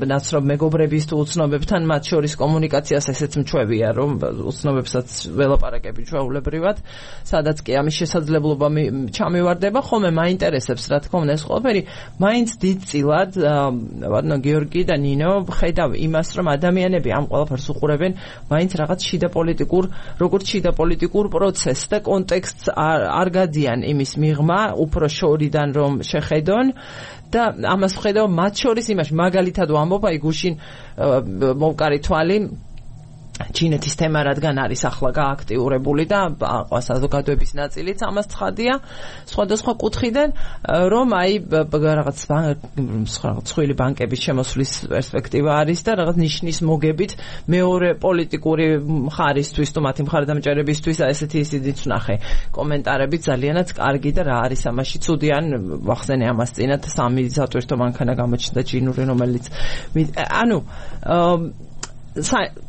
ნაცნობ მეგობრების თუ უცნობებთან მათ შორის კომუნიკაციას, ესეც მჩვევია, რომ უცნობებსაც ველაპარაკები ჩვეულებრივად, სადაც კი ამის შესაძლებლობა ჩამივარდება, ხოლმე მაინტერესებს, რა თქმა უნდა, ეს ყველაფერი მაინც დიდწილად, ვარდნო გიორგი და ნინო, ხედავ იმას, რომ ადამიანები ამ ყველაფერს უყურებენ, მაინც რაღაც შიდა პოლიტიკურ, როგორც შიდა პოლიტიკურ პროცესს და კონტექსტს არ გადიან იმის მიღმა, უფრო შორიდან რომ შეხედონ და ამას ვხედავ მათ შორის იმაში, მაგალითად ვამბობ, აი გუშინ მოვკარი თვალი ჩინეთის თემა რადგან არის ახლა გააქტიურებული და საზოგადოების ნაწილიც ამას ცხადია სხვადასხვა კუთხიდან, რომ აი რაღაც სხვილი ბანკების შემოსვლის პერსპექტივა არის და რაღაც ნიშნის მოგებით მეორე პოლიტიკური მხარისთვის თუ მათი მხარდამჭერებისთვის ესეთი ისიც ვნახე კომენტარები ძალიანაც კარგი და რა არის ამაში ცუდი, ან ვახსენე ამას წინათ სამი სატვირთო მანქანა გამოჩნდა ჩინური, რომელიც ანუ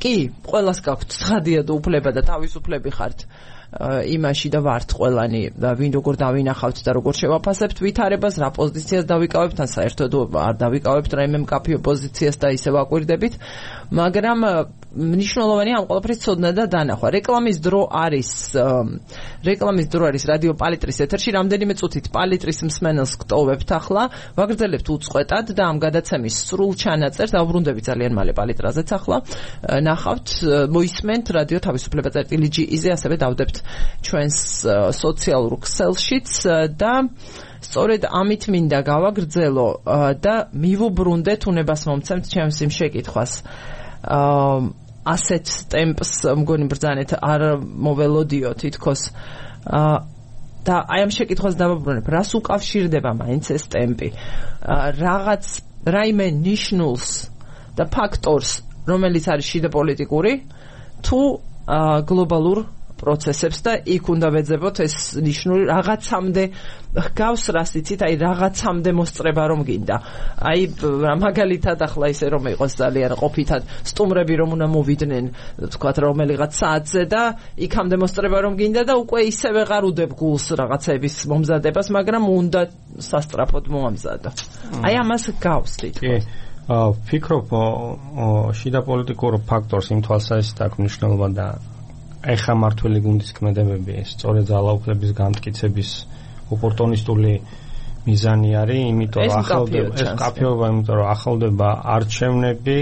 კი, ყველას გაქვთ ცხადია და უფლება და თავისუფლები ხართ იმაში და ვართ ყველანი ვინ როგორ დავინახავთ და როგორ შევაფასებთ ვითარებას, რა პოზიციას დავიკავებთ, ან საერთოდ არ დავიკავებთ რაიმე მკაფიო პოზიციას და ისე ვაკვირდებით, მაგრამ მნიშვნელოვანია ამ ყველაფრის ცოდნა და დანახვა. რეკლამის დრო არის რეკლამის დრო არის რადიო პალიტრის ეთერში, რამდენიმე წუთით პალიტრის მსმენელს გტოვებთ ახლა, ვაგრძელებთ უწყვეტად და ამ გადაცემის სრულ ჩანაწერს დავბრუნდები ძალიან მალე პალიტრაზეც ახლა ნახავთ, მოისმენთ რადიო თავისუფლება წერტილი ჯი-ზე, ასევე დავდებთ ჩვენს სოციალურ ქსელშიც და სწორედ ამით მინდა გავაგრძელო და მივუბრუნდეთ უნებას მომცემთ ჩემს იმ შეკითხვას. ასეთ ტემპს მგონი ბრძანეთ არ მოველოდიო თითქოს და აი ამ შეკითხვას დავაბრუნებ, რას უკავშირდება მაინც ეს ტემპი? რაღაც რაიმე ნიშნულს და ფაქტორს, რომელიც არის შიდა პოლიტიკური თუ გლობალურ პროცესებს და იქ უნდა ვეძებოთ ეს ნიშნული რაღაცამდე გავს რას იცით, აი რაღაცამდე მოსწრება რომ გინდა. აი მაგალითად ახლა ისე რომ იყოს ძალიან ყოფითად სტუმრები რომ უნდა მოვიდნენ თქვათ რომელიღაც საათზე და იქამდე მოსწრება რომ გინდა და უკვე ისე ვეღარ უდებ გულს რაღაცების მომზადებას, მაგრამ უნდა სასწრაფოდ მოამზადო. აი ამას გავს თითქოს. ფიქრობ შიდა პოლიტიკურ ფაქტორს იმ თვალსაზრისით აქვს მნიშვნელობა და ეხა მართველი გუნდის ქმედებები სწორედ ძალაუფლების გამტკიცების ოპორტუნისტული მიზანი არის, იმიტომ რომ ახლოვდება ეს კაფეობა, იმიტომ რომ ახლოვდება არჩევნები,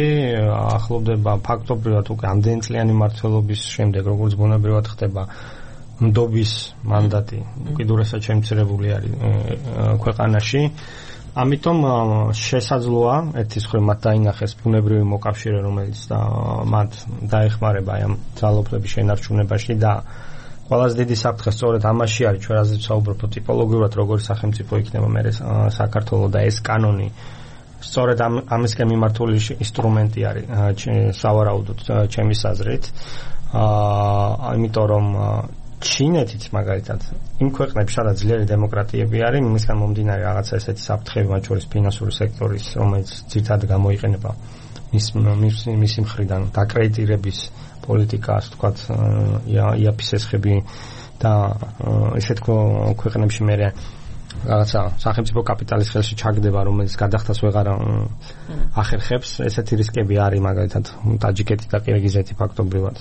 ახლოვდება ფაქტობრივად უკვე ამდენწლიანი მმართველობის შემდეგ, როგორც ბუნებრივად ხდება ნდობის მანდატი, უკიდურესად შემცირებული არის ქვეყანაში. ამიტომ შესაძლოა ერთის მხრივ მათ დაინახეს ბუნებრივი მოკავშირე, რომელიც მათ დაეხმარება აი ამ ძალაუფლების შენარჩუნებაში და ყველაზე დიდი საფრთხე სწორედ ამაში არის, ჩვენ რაზეც საუბრობთ, ტიპოლოგიურად როგორი სახელმწიფო იქნება მე საქართველოს და ეს კანონი სწორედ ამ ამისკენ მიმართული ინსტრუმენტი არის სავარაუდოდ ჩემის აზრით. აა იმიტომ რომ ჩინეთიც მაგალითად იმ ქვეყნებში, სადაც ძლიერი დემოკრატიები არის, იმისგან მომდინარე რაღაცა ესეთი საფრთხეები, მათ შორის ფინანსური სექტორის, რომელიც ძირითადად გამოიყენება მის მისი მხრიდან დაკრედიტირების პოლიტიკა, ასე ვთქვათ, იაფის ესხები და ესეთ ქვეყნებში მე რაღაცა სახელმწიფო კაპიტალის ხელში ჩაგდება, რომელიც გადახდას ვეღარ ახერხებს. ესეთი რისკები არის მაგალითად ტაჯიკეთი და ყირგიზეთი ფაქტობრივად.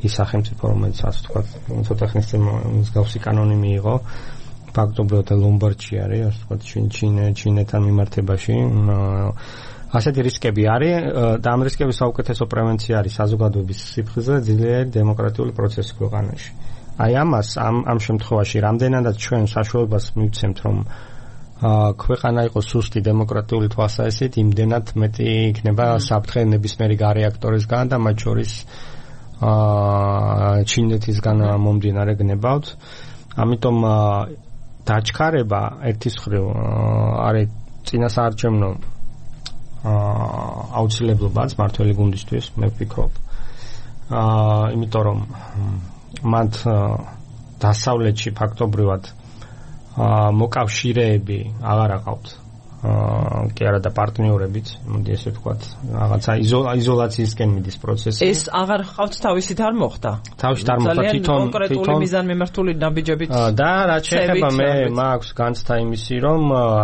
ის სახელმწიფო, რომელიც ასე ვთქვათ, ცოტა ხნის წინ მსგავსი კანონი მიიღო, ფაქტობრივად ლომბარდში არის, ასე ვთქვათ, ჩინეთთან მიმართებაში. ასეთი რისკები არის და ამ რისკების საუკეთესო პრევენცია არის საზოგადოების სიფხიზე, ძლიერი დემოკრატიული პროცესი ქვეყანაში. აი ამას ამ ამ შემთხვევაში რამდენადაც ჩვენ საშუალებას მივცემთ, რომ ქვეყანა იყოს სუსტი დემოკრატიული თვალსაზრისით, იმდენად მეტი იქნება საფრთხე ნებისმიერი გარეაქტორისგან და მათ შორის აა ჩინეთისგან მომდინარე გნებავთ. ამიტომ დაჩქარება ერთის მხრივ არის წინასაარჩევნო აა აუცილებლობაც მართველი გუნდისთვის, მე ვფიქრობ. აა იმიტომ რომ მათ დასავლეთში ფაქტობრივად აა მოკავშირეები აღარ აყავთ. აა კი არა და პარტნიორებიც, მოდი ესე ვთქვათ, რაღაცა იზოლაციისკენ მიდის პროცესი. ეს აღარ ხავთ თავისით არ მოხდა. თავისით არ მოხდა, თვითონ კონკრეტული მიზანმიმართული ნაბიჯებით. და რაც შეეხება მე მაქვს განცდა იმისი, რომ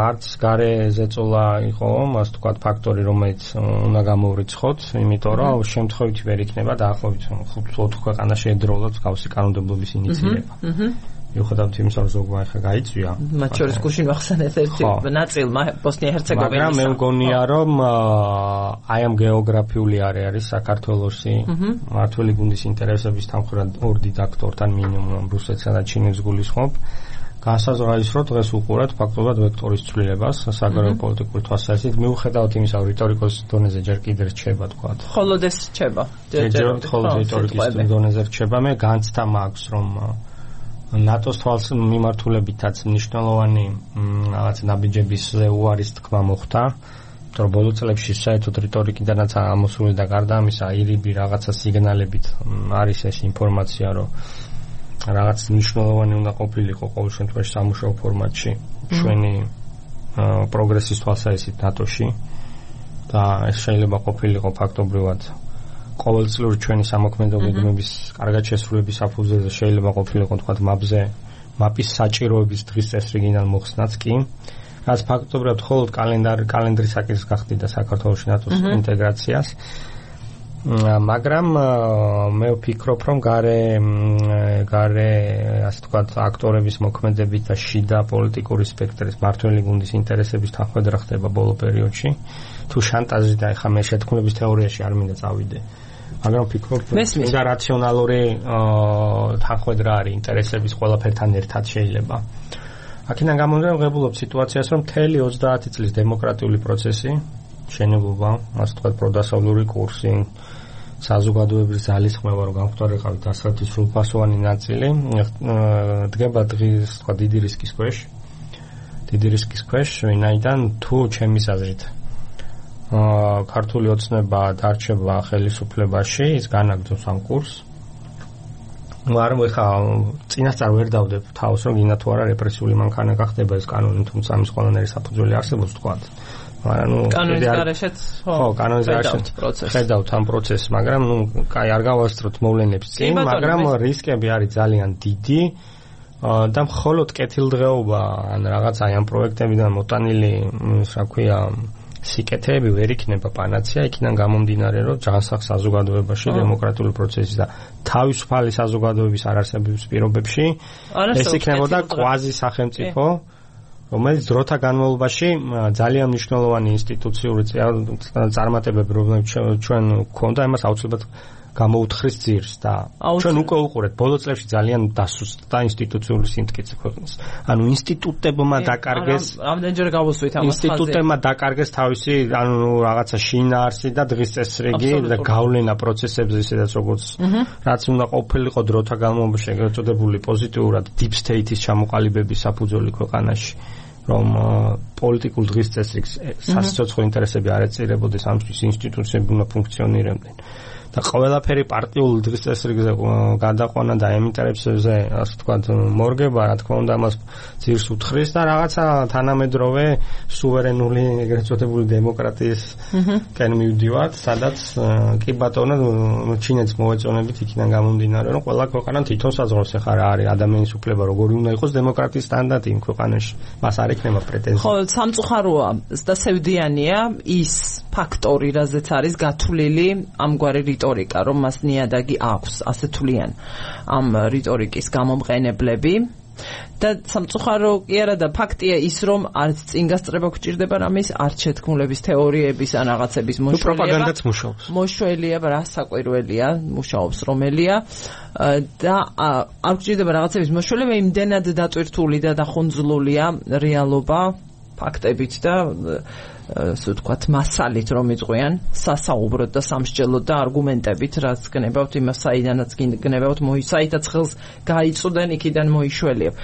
არც გარე ზეწოლა იყო, ასე ვთქვათ, ფაქტორი, რომელიც უნდა გამოვრიცხოთ, იმიტომ რომ შემთხვევითი ვერ იქნება დაახლოებით ხუთ ქვეყანაში ერთდროულად გავსი კანონმდებლობის ინიციირება. მიუხედავად იმისა, რომ ზოგმა ახლა გაიწვია. მათ შორის გუშინ ვახსენეთ ერთი ნაწილმა ბოსნია-ჰერცეგოვინის. მაგრამ მე მგონია, რომ აი ამ გეოგრაფიული არეალის საქართველოსი მართველი გუნდის ინტერესების თანხმად ორ დიდაქტორთან მინიმუმ რუსეთსა და ჩინეთს გულისხმობ. განსაზღვრა რომ დღეს უყურებთ ფაქტობრივად ვექტორის ცვლილებას საგარეო პოლიტიკური თვალსაზრისით, მიუხედავად იმისა, რომ რიტორიკის დონეზე ჯერ კიდევ რჩება, თქვა. მხოლოდ ეს რჩება. ჯერ მხოლოდ რიტორიკის დონეზე რჩება, მე განცდა მაქვს, რომ ნატოს თვალს მიმართულებითაც მნიშვნელოვანი რაღაც ნაბიჯებისზე უარის თქმა მოხდა, იმიტომ რომ ბოლო წლებში საერთოდ რიტორიკიდანაც ამოსული და გარდა ამისა აირიბი რაღაცა სიგნალებით არის ეს ინფორმაცია, რომ რაღაც მნიშვნელოვანი უნდა ყოფილიყო ყოველ შემთხვევაში სამუშაო ფორმატში ჩვენი პროგრესის თვალსაზრისით ნატოში და ეს შეიძლება ყოფილიყო ფაქტობრივად ყოველწლიური ჩვენი სამოქმედო გეგმების კარგად შესრულების საფუძველზე შეიძლება ყოფილიყო თქვა მაპზე მაპის საჭიროების დღის წესრიგიდან მოხსნაც კი რაც ფაქტობრივად მხოლოდ კალენდარი კალენდრის საკითხს გახდიდა საქართველოს ნატოს ინტეგრაციას მაგრამ მე ვფიქრობ რომ გარე გარე ასე ვთქვათ აქტორების მოქმედებით და შიდა პოლიტიკური სპექტრის მართველი გუნდის ინტერესების თანხმედრა ხდება ბოლო პერიოდში თუ შანტაჟი და ეხა მე შეთქმულების თეორიაში არ მინდა წავიდე მაგრამ ვფიქრობ, და რაციონალური თანხმედრა არის ინტერესების ყველაფერთან ერთად შეიძლება. აქედან გამომდინარე ვღებულობ სიტუაციას, რომ მთელი ოცდაათი წლის დემოკრატიული პროცესი, შენებობა, ასე ვთქვათ, პროდასავლური კურსი, საზოგადოების ძალისხმევა, რომ გამხდარიყავით დასავლეთის სრულფასოვანი ნაწილი, დგება დღის, თქვა, დიდი რისკის ქვეშ. დიდი რისკის ქვეშ, ვინაიდან თუ ჩემის აზრით აა ქართული ოცნება დარჩება ხელისუფლებაში, ის განაგრძობს ამ კურსს. მაგრამ ეხა წინასწარ ვერ დავდებ თავს, რომ გინდა თუ არა რეპრესიული მანქანა ხდება ეს კანონი, თუმცა ამის ყველანაირი საფუძველი არსებობს, თქვა. მაგრამ ნუ კანონის გარეშეც ხო, კანონის გარეშეც ხედავთ ამ პროცესს, მაგრამ ნუ კაი არ გავასწროთ მოვლენებს წინ, მაგრამ რისკები არის ძალიან დიდი. და მხოლოდ კეთილდღეობა ან რაღაც აი ამ პროექტებიდან მოტანილი, რა ქვია, სიკეთეები ვერ იქნება პანაცეა, იქიდან გამომდინარე, რომ ჯანსაღ საზოგადოებაში დემოკრატიული პროცესის და თავისუფალი საზოგადოების არარსებობის პირობებში ეს იქნებოდა კვაზი სახელმწიფო, რომელიც დროთა განმავლობაში ძალიან მნიშვნელოვანი ინსტიტუციური წარმატებები, რომლებიც ჩვენ გვქონდა, იმას აუცილებლად გამოუთხრის ძირს და ჩვენ უკვე უყურეთ ბოლო წლებში ძალიან დასუსტდა ინსტიტუციური სიმტკიცე ქვეყნის. ანუ ინსტიტუტებმა დაკარგეს ამდენჯერ გავუსვით ამას. ინსტიტუტებმა დაკარგეს თავისი ანუ რაღაცა შინაარსი და დღის წესრიგი და გავლენა პროცესებზე, ისედაც როგორც რაც უნდა ყოფილიყო დროთა განმავლობაში ეგრეთ წოდებული პოზიტიურად deep state-ის ჩამოყალიბების საფუძველი ქვეყანაში. რომ პოლიტიკურ დღის წესრიგს სასიცოცხლო ინტერესები არ ეწირებოდეს, ამისთვის ინსტიტუციები უნდა ფუნქციონირებდნენ. და ყველაფერი პარტიულ დღის წესრიგზე გადაყვანა და ემინტერებზე, ასე ვთქვათ, მორგება, რა თქმა უნდა, ამას ძირს უთხრის და რაღაცა თანამედროვე სუვერენული ეგრეთ წოდებული დემოკრატიისკენ მივდივართ, სადაც კი ბატონო ჩინეთს მოვეწონებით იქიდან გამომდინარე, რომ ყველა ქვეყანა თვითონ საზღვრავს ახლა რა არის ადამიანის უფლება, როგორი უნდა იყოს დემოკრატიის სტანდარტი იმ ქვეყანაში. მას არ ექნება პრეტენზია. ხო, სამწუხაროა და სევდიანია ის ფაქტორი, რაზეც არის გათვლილი ამგვარი რიტორიკა, რომ მას ნიადაგი აქვს, ასე თვლიან ამ რიტორიკის გამომყენებლები. და სამწუხარო კი არა და ფაქტია ის, რომ არც წინ გასწრება გვჭირდება რამის, არც შეთქმულების თეორიების ან რაღაცების მოშველება. პროპაგანდაც მუშაობს. მოშველია, რა საკვირველია, მუშაობს რომელია და არ გვჭირდება რაღაცების მოშველება, იმდენად დატვირთული და დახუნძლულია რეალობა ფაქტებით და ასე ვთქვათ, მასალით რომ იყვიან, სასაუბროდ და სამსჯელოდ და არგუმენტებით, რაც გნებავთ იმას, საიდანაც გნებავთ, მოისაითაც ხელს გაიწვდნენ, იქიდან მოიშველიებ.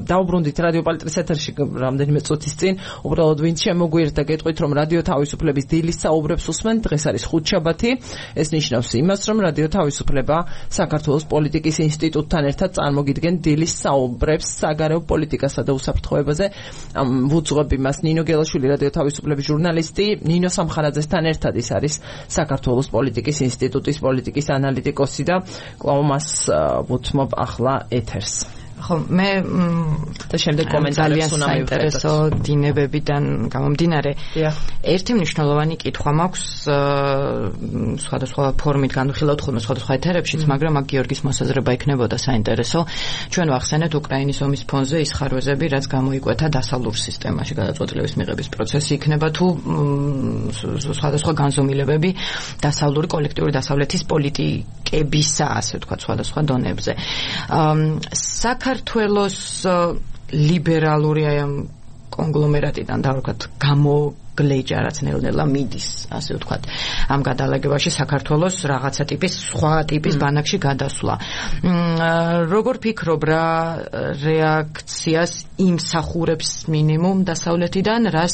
დავუბრუნდით რადიო პალტრის ეთერში რამდენიმე წუთის წინ, უბრალოდ ვინც შემოგვიერთდა, გეტყვით, რომ რადიო თავისუფლების დილის საუბრებს უსმენთ, დღეს არის ხუთშაბათი. ეს ნიშნავს იმას, რომ რადიო თავისუფლება საქართველოს პოლიტიკის ინსტიტუტთან ერთად წარმოგიდგენ დილის საუბრებს საგარეო პოლიტიკასა და უსაფრთხოებაზე. ვუძღვებ იმას ნინო გელაშვილი რადიო თავისუფლების ჟურნალისტი, ნინო სამხარაძესთან ერთად ის არის საქართველოს პოლიტიკის ინსტიტუტის პოლიტიკის ანალიტიკოსი და კვლავ მას ვუთმობ ახლა ეთერს. ხო, მე და შემდეგ კომენტარებს უნდა საინტერესო დინებებიდან გამომდინარე. ერთი მნიშვნელოვანი კითხვა მაქვს სხვადასხვა ფორმით განვიხილავთ ხოლმე სხვადასხვა ეთერებშიც, მაგრამ აქ გიორგის მოსაზრება იქნებოდა საინტერესო. ჩვენ ვახსენეთ უკრაინის ომის ფონზე ის ხარვეზები, რაც გამოიკვეთა დასავლურ სისტემაში გადაწყვეტილების მიღების პროცესი იქნება თუ სხვადასხვა განზომილებები დასავლური კოლექტიური დასავლეთის პოლიტიკებისა, ასე ვთქვათ, სხვადასხვა დონებზე. საქართველოს ლიბერალური აი ამ კონგლომერატიდან და ვთქვათ გამოგლეჯა რაც ნელ-ნელა მიდის, ასე ვთქვათ, ამ გადალაგებაში საქართველოს რაღაცა ტიპის სხვა ტიპის ბანაკში გადასვლა. როგორ ფიქრობ, რა რეაქციას იმსახურებს მინიმუმ დასავლეთიდან, რას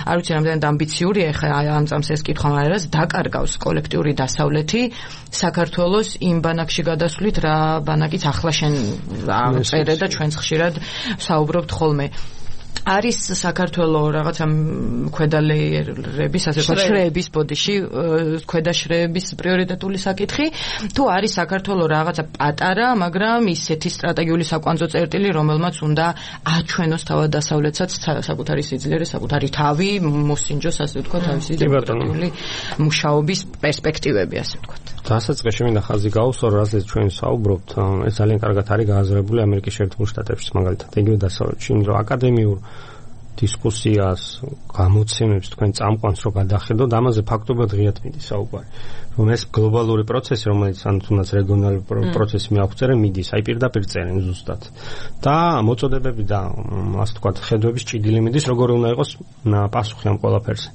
არ ვიცი რამდენად ამბიციურია ხა ამ წამს ეს კითხვა, მაგრამ რას დაკარგავს კოლექტიური დასავლეთი საქართველოს იმ ბანაკში გადასვლით, რა ბანაკიც ახლა შენ აღწერე და ჩვენც ხშირად საუბრობთ ხოლმე. არის საქართველოს რაღაცა ქვედალეერების, ასე ვთქვათ, შრეების ბოდიში, ქვედაშრეების პრიორიტეტული საკითხი, თუ არის საქართველოს რაღაცა პატარა, მაგრამ ისეთი სტრატეგიული საკვანძო წერტილი, რომელმაც უნდა აჩვენოს თავად დასავლეთსაც საკუთარი სიძლიერე, საკუთარი თავი, მოსინჯოს, ასე ვთქვათ, თავისი დემოკრატიული მუშაობის პერსპექტივები, ასე ვთქვათ. დასაწყისში მინდა ხაზი გაუსვა, რასაც ჩვენ საუბრობთ, ეს ძალიან კარგად არის გააზრებული ამერიკის შეერთებულ შტატებში, მაგალითად, იგივე დასავლეთში, რომ აკადემიურ დისკუსიას, გამოცემებს თქვენ წამყვანს რო გადახედოთ, ამაზე ფაქტობრივად ღიად მიდის საუბარი. რომ ეს გლობალური პროცესი, რომელიც ან თუნდაც რეგიონალური პროცესი მიახვწერე, მიდის, აი პირდაპირ წერენ ზუსტად. და მოწოდებები და ასე ვთქვათ, ხედვების ჭიდილი მიდის, როგორი უნდა იყოს პასუხი ამ ყველაფერზე.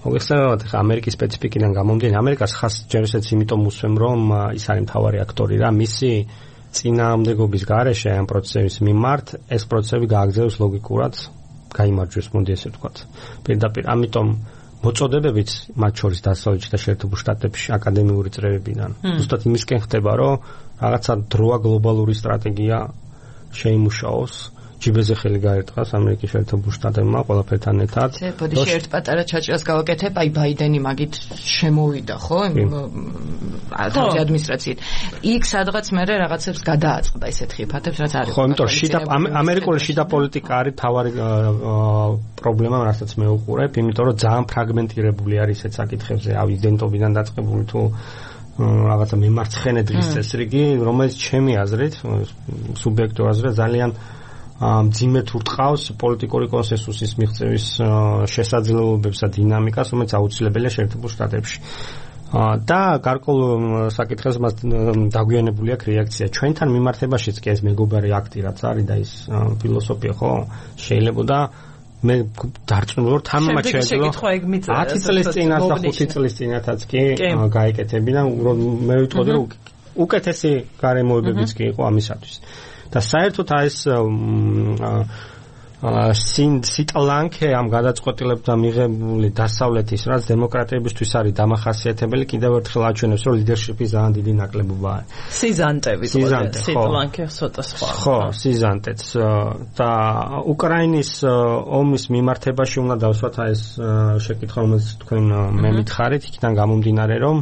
მოგეხსენებათ, ხა ამერიკის სპეციფიკიდან გამომდინარე, ამერიკას ხას ჯერ ისეც იმიტომ უსვემ, რომ ის არის მთავარი აქტორი რა, მისი წინააღმდეგობის გარეშე ამ პროცესების მიმართ ეს პროცესები გააგრძელოს ლოგიკურად, გაიმარჯვოს, მოდი ესე ვთქვათ. პირდაპირ, ამიტომ მოწოდებებიც მათ შორის დასავლეთში და შეერთებულ შტატებში აკადემიური წრეებიდან. ზუსტად იმისკენ ხდება, რომ რაღაცა დროა გლობალური სტრატეგია შეიმუშაოს. ჯიბეზე ხელი გაერტყას ამერიკის შეერთებულ შტატებმა ყველაფერთან ერთად. ბოდიში ერთ პატარა ჩაჭრას გავაკეთებ, აი ბაიდენი მაგით შემოვიდა, ხო? თავი ადმინისტრაციით. იქ სადღაც მერე რაღაცებს გადააწყდა ისეთ ხიფათებს, რაც არის. ხო, იმიტომ შიდა ამერიკული შიდა პოლიტიკა არის თავარი პრობლემა, რასაც მე უყურებ, იმიტომ რომ ძალიან ფრაგმენტირებული არის ეს საკითხებზე, ავი იდენტობიდან დაწყებული თუ რაღაცა მიმარცხენე დღის წესრიგი, რომელიც ჩემი აზრით, სუბიექტური აზრით ძალიან მძიმედ ურტყავს პოლიტიკური კონსენსუსის მიღწევის შესაძლებლობებს და დინამიკას, რომელიც აუცილებელია შეერთებულ შტატებში. და გარკვეულ საკითხებს მას დაგვიანებული აქვს რეაქცია. ჩვენთან მიმართებაშიც კი ეს მეგობარი აქტი რაც არის და ის ფილოსოფია ხო შეიძლება და მე დარწმუნებული ვარ თამამად შეიძლება ათი წლის წინათ და ხუთი წლის წინათაც კი გაიკეთებინა და მე ვიტყოდი რომ უკეთესი გარემოებებიც კი იყო ამისათვის. და საერთოდ ეს სინ სიტლანკე ამ გადაწყვეტილებებთან მიღებული დასავლეთის რაც დემოკრატიებისთვის არის დამახასიათებელი კიდევ ერთხელ აჩვენებს რომ ლიდერშიპის ძალიან დიდი ნაკლებობა არის. სიზანტები სიტლანკე ცოტა სხვა. ხო, სიზანტეც და უკრაინის ომის მიმართებაში უნდა დავსვათ ეს შეკითხვა რომელიც თქვენ მე მითხარით იქიდან გამომდინარე რომ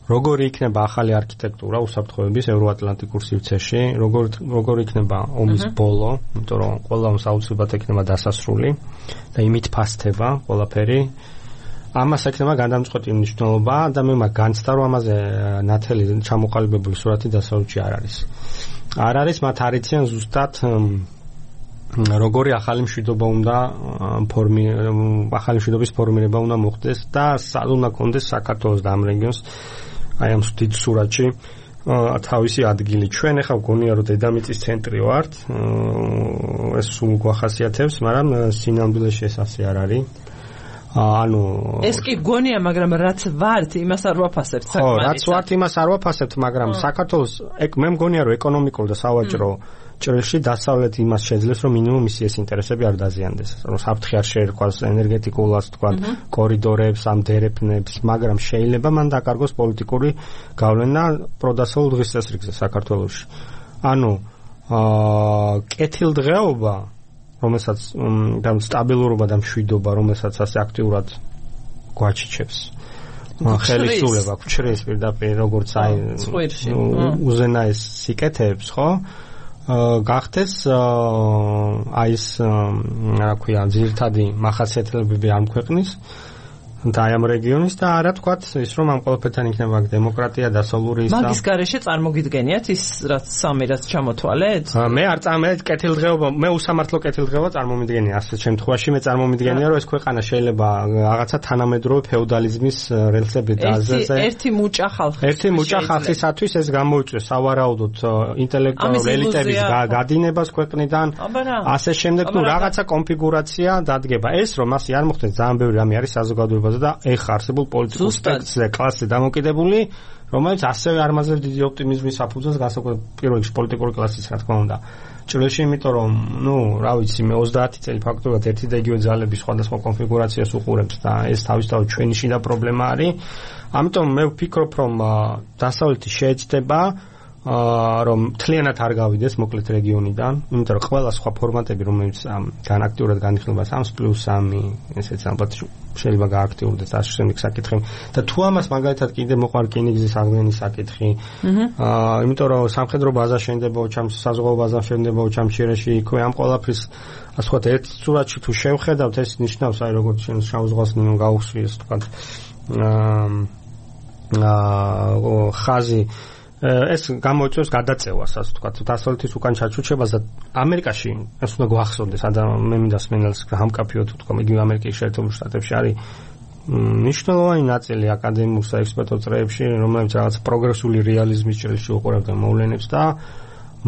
როგორი იქნება ახალი არქიტექტურა უსაფრთხოების ევროატლანტიკურ სივრცეში, როგორი როგორი იქნება ომის ბოლო, იმიტომ რომ ყველა ომს აუცილებლად ექნება დასასრული და იმით ფასდება ყველაფერი. ამას ექნება გადამწყვეტი მნიშვნელობა და მე მაგ განცდა რომ ამაზე ნათელი ჩამოყალიბებული სურათი დასავლეთში არ არის. არ არის, მათ არიციან ზუსტად როგორი ახალი მშვიდობა უნდა ფორმი ახალი მშვიდობის ფორმირება უნდა მოხდეს და სად უნდა კონდეს საქართველოს და ამ რეგიონს აი ამ დიდ სურათში თავისი ადგილი. ჩვენ ახლა გონია რომ დედამიწის ცენტრი ვართ, ეს სულ გვახასიათებს, მაგრამ სინამდვილეში ეს ასე არ არის. ანუ ეს კი გონია, მაგრამ რაც ვართ, იმას არ ვაფასებთ საკმარისად. ხო, რაც ვართ, იმას არ ვაფასებთ, მაგრამ საქართველოს მე მგონია რომ ეკონომიკურ და სავაჭრო ჭრილში დასავლეთ იმას შეძლებს, რომ მინიმუმ მისი ეს ინტერესები არ დაზიანდეს. რომ საფრთხე არ შეერკვას ენერგეტიკულად, თქვა, კორიდორებს, ამ დერეფნებს, მაგრამ შეიძლება მან დაკარგოს პოლიტიკური გავლენა პროდასავლურ დღის წესრიგზე საქართველოში. ანუ აა კეთილდღეობა, რომელსაც და სტაბილურობა და მშვიდობა, რომელსაც ასე აქტიურად გვაჩიჩებს. ხელისუფლება გვჩრის პირდაპირ როგორც აი უზენაეს სიკეთეებს, ხო? გახდეს აი ეს რა ქვია ძირითადი მახასიათებლები ამ ქვეყნის და აი ამ რეგიონის და არა თქვათ ის რომ ამ ყველაფერთან იქნება დემოკრატია დასავლური ის მაგის გარეშე წარმოგიდგენიათ ის რაც სამი რაც ჩამოთვალეთ? მე არ წარმოვიდგენია კეთილდღეობა, მე უსამართლო კეთილდღეობა წარმომიდგენია ასეთ შემთხვევაში, მე წარმომიდგენია რომ ეს ქვეყანა შეიძლება რაღაცა თანამედროვე ფეოდალიზმის რელსები დააზეზე. ერთი მუჭა ხალხი. ერთი მუჭა ხალხისათვის ეს გამოიწვევს სავარაუდოდ ინტელექტუალური ელიტების გადინებას ქვეყნიდან. ასე შემდეგ თუ რაღაცა კონფიგურაცია დადგება. ეს რომ ასე არ მოხდეს ძალიან ბევრი რამე არის საზოგადოებაზე და ეხა არსებულ პოლიტიკურ სპექტრზე კლასზე დამოკიდებული, რომელიც ასევე არ მაძლევს დიდი ოპტიმიზმის საფუძველს განსაკუთრებით პირველ რიგში პოლიტიკური კლასის, რა თქმა უნდა. ჭრილში, იმიტომ რომ, ნუ, რა ვიცი, მე ოცდაათი წელი ფაქტობრივად ერთი და იგივე ძალების სხვადასხვა კონფიგურაციას უყურებს და ეს თავისთავად ჩვენი შიდა პრობლემა არის. ამიტომ მე ვფიქრობ, რომ დასავლეთი შეეცდება რომ მთლიანად არ გავიდეს მოკლედ რეგიონიდან, იმიტომ რომ ყველა სხვა ფორმატები, რომელიც განაქტიურად განიხილება სამს პლუს სამი, ესეც ალბათ შეიძლება გააქტიურდეს ასე შემდეგ საკითხები. და თუ ამას მაგალითად კიდე მოყარ რკინიგზის აღდგენის საკითხი, აა, იმიტომ რომ სამხედრო ბაზა შენდება ოჩამს, საზღვაო ბაზა შენდება ოჩამჩირეში, იქვე ამ ყველაფრის ასე ვთქვათ, ერთ სურათში თუ შევხედავთ, ეს ნიშნავს აი როგორც შენ შავ ზღვას გაუხსვიეს, თქვა აა ხაზი ეს გამოიწვევს გადაწევას, ასე ვთქვათ, დასავლეთის უკან ჩაჩუჩებას და ამერიკაში ეს უნდა გვახსოვდეს, ადამიანი მე მინდა სმენელს გამკაფიოთ თქვა, იგივე ამერიკის შეერთებულ შტატებში არის მნიშვნელოვანი ნაწილი აკადემიურ საექსპერტო წრეებში, რომლებიც რაღაც პროგრესული რეალიზმის ჭრილში უყურებდნენ მოვლენებს და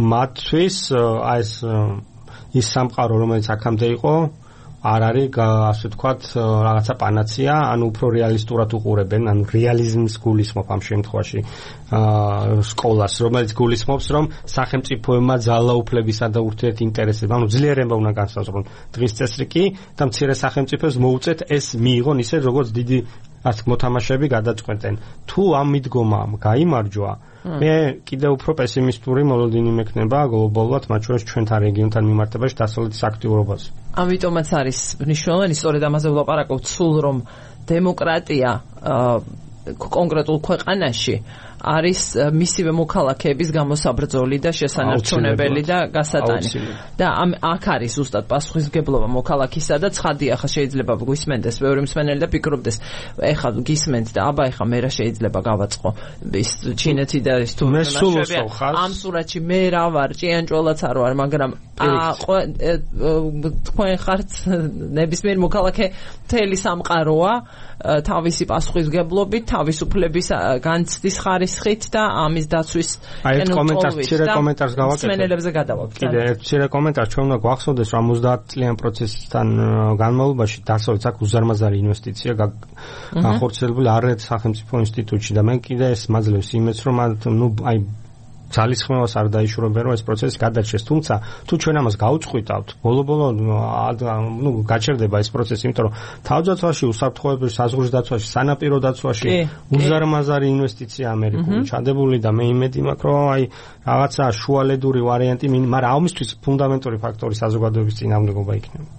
მათთვის აი ეს ის სამყარო, რომელიც აქამდე იყო, არ არის ასე ვთქვათ რაღაცა პანაცია, ანუ უფრო რეალისტურად უყურებენ, ანუ რეალიზმის გულისხმობ ამ შემთხვევაში სკოლას, რომელიც გულისხმობს, რომ სახელმწიფოებმა ძალაუფლებისა და ურთიერთინტერესებმა, ანუ ძლიერება უნდა განსაზღვრონ დღის წესრიგი კი და მცირე სახელმწიფოს მოუწეთ ეს მიიღონ ისე, როგორც დიდი ასე მოთამაშეები გადაწყვეტენ. თუ ამ მიდგომამ გაიმარჯვა, მე კიდევ უფრო პესიმისტური მოლოდინი მექნება გლობალურად, მათ შორის ჩვენთან რეგიონთან მიმართებაში დასავლეთის აქტიურობაზე. ამიტომაც არის მნიშვნელოვანი, სწორედ ამაზე ვლაპარაკობთ, სულ რომ დემოკრატია კონკრეტულ ქვეყანაში არის მისივე მოქალაქეების გამოსაბრძოლი და შესანარჩუნებელი და გასატანი. და ამ აქ არის ზუსტად პასუხისმგებლობა მოქალაქისა და ცხადია, ხა შეიძლება გვისმენდეს ბევრი მსმენელი და ფიქრობდეს, ეხლა გისმენთ და აბა ეხლა მე რა შეიძლება გავაწყო ის ჩინეთი და ის თუ ამ სურათში მე რა ვარ, ჭიანჭველაც არ ვარ, მაგრამ თქვენ ხართ ნებისმიერ მოქალაქე მთელი სამყაროა თავისი პასუხისმგებლობით, თავისუფლების განცდის ხარისხით და ამის დაცვის კენოწოლით და კომენტარს გავაკეთებ. მსმენელებზე გადავაკეთებ. კიდე ერთ მცირე კომენტარ ჩვენ უნდა გვახსოვდეს, რომ ოცდაათ წლიან პროცესთან განმავლობაში დასავლეთს აქ უზარმაზარი ინვესტიცია განხორციელებული არაერთ სახელმწიფო ინსტიტუტში და მე კიდე ეს მაძლევს იმედს, რომ ნუ აი ძალისხმევას არ დაიშურებენ, რომ ეს პროცესი გადარჩეს. თუმცა თუ ჩვენ ამას გაუწყვიტავთ, ბოლო-ბოლო ნუ გაჩერდება ეს პროცესი, იმიტომ რომ თავდაცვაში, უსაფრთხოებრივ საზღვრის დაცვაში, სანაპირო დაცვაში უზარმაზარი ინვესტიცია ამერიკული ჩადებული და მე იმედი მაქვს, რომ აი რაღაცა შუალედური ვარიანტი, მაგრამ ამისთვის ფუნდამენტური ფაქტორი საზოგადოების წინააღმდეგობა იქნება.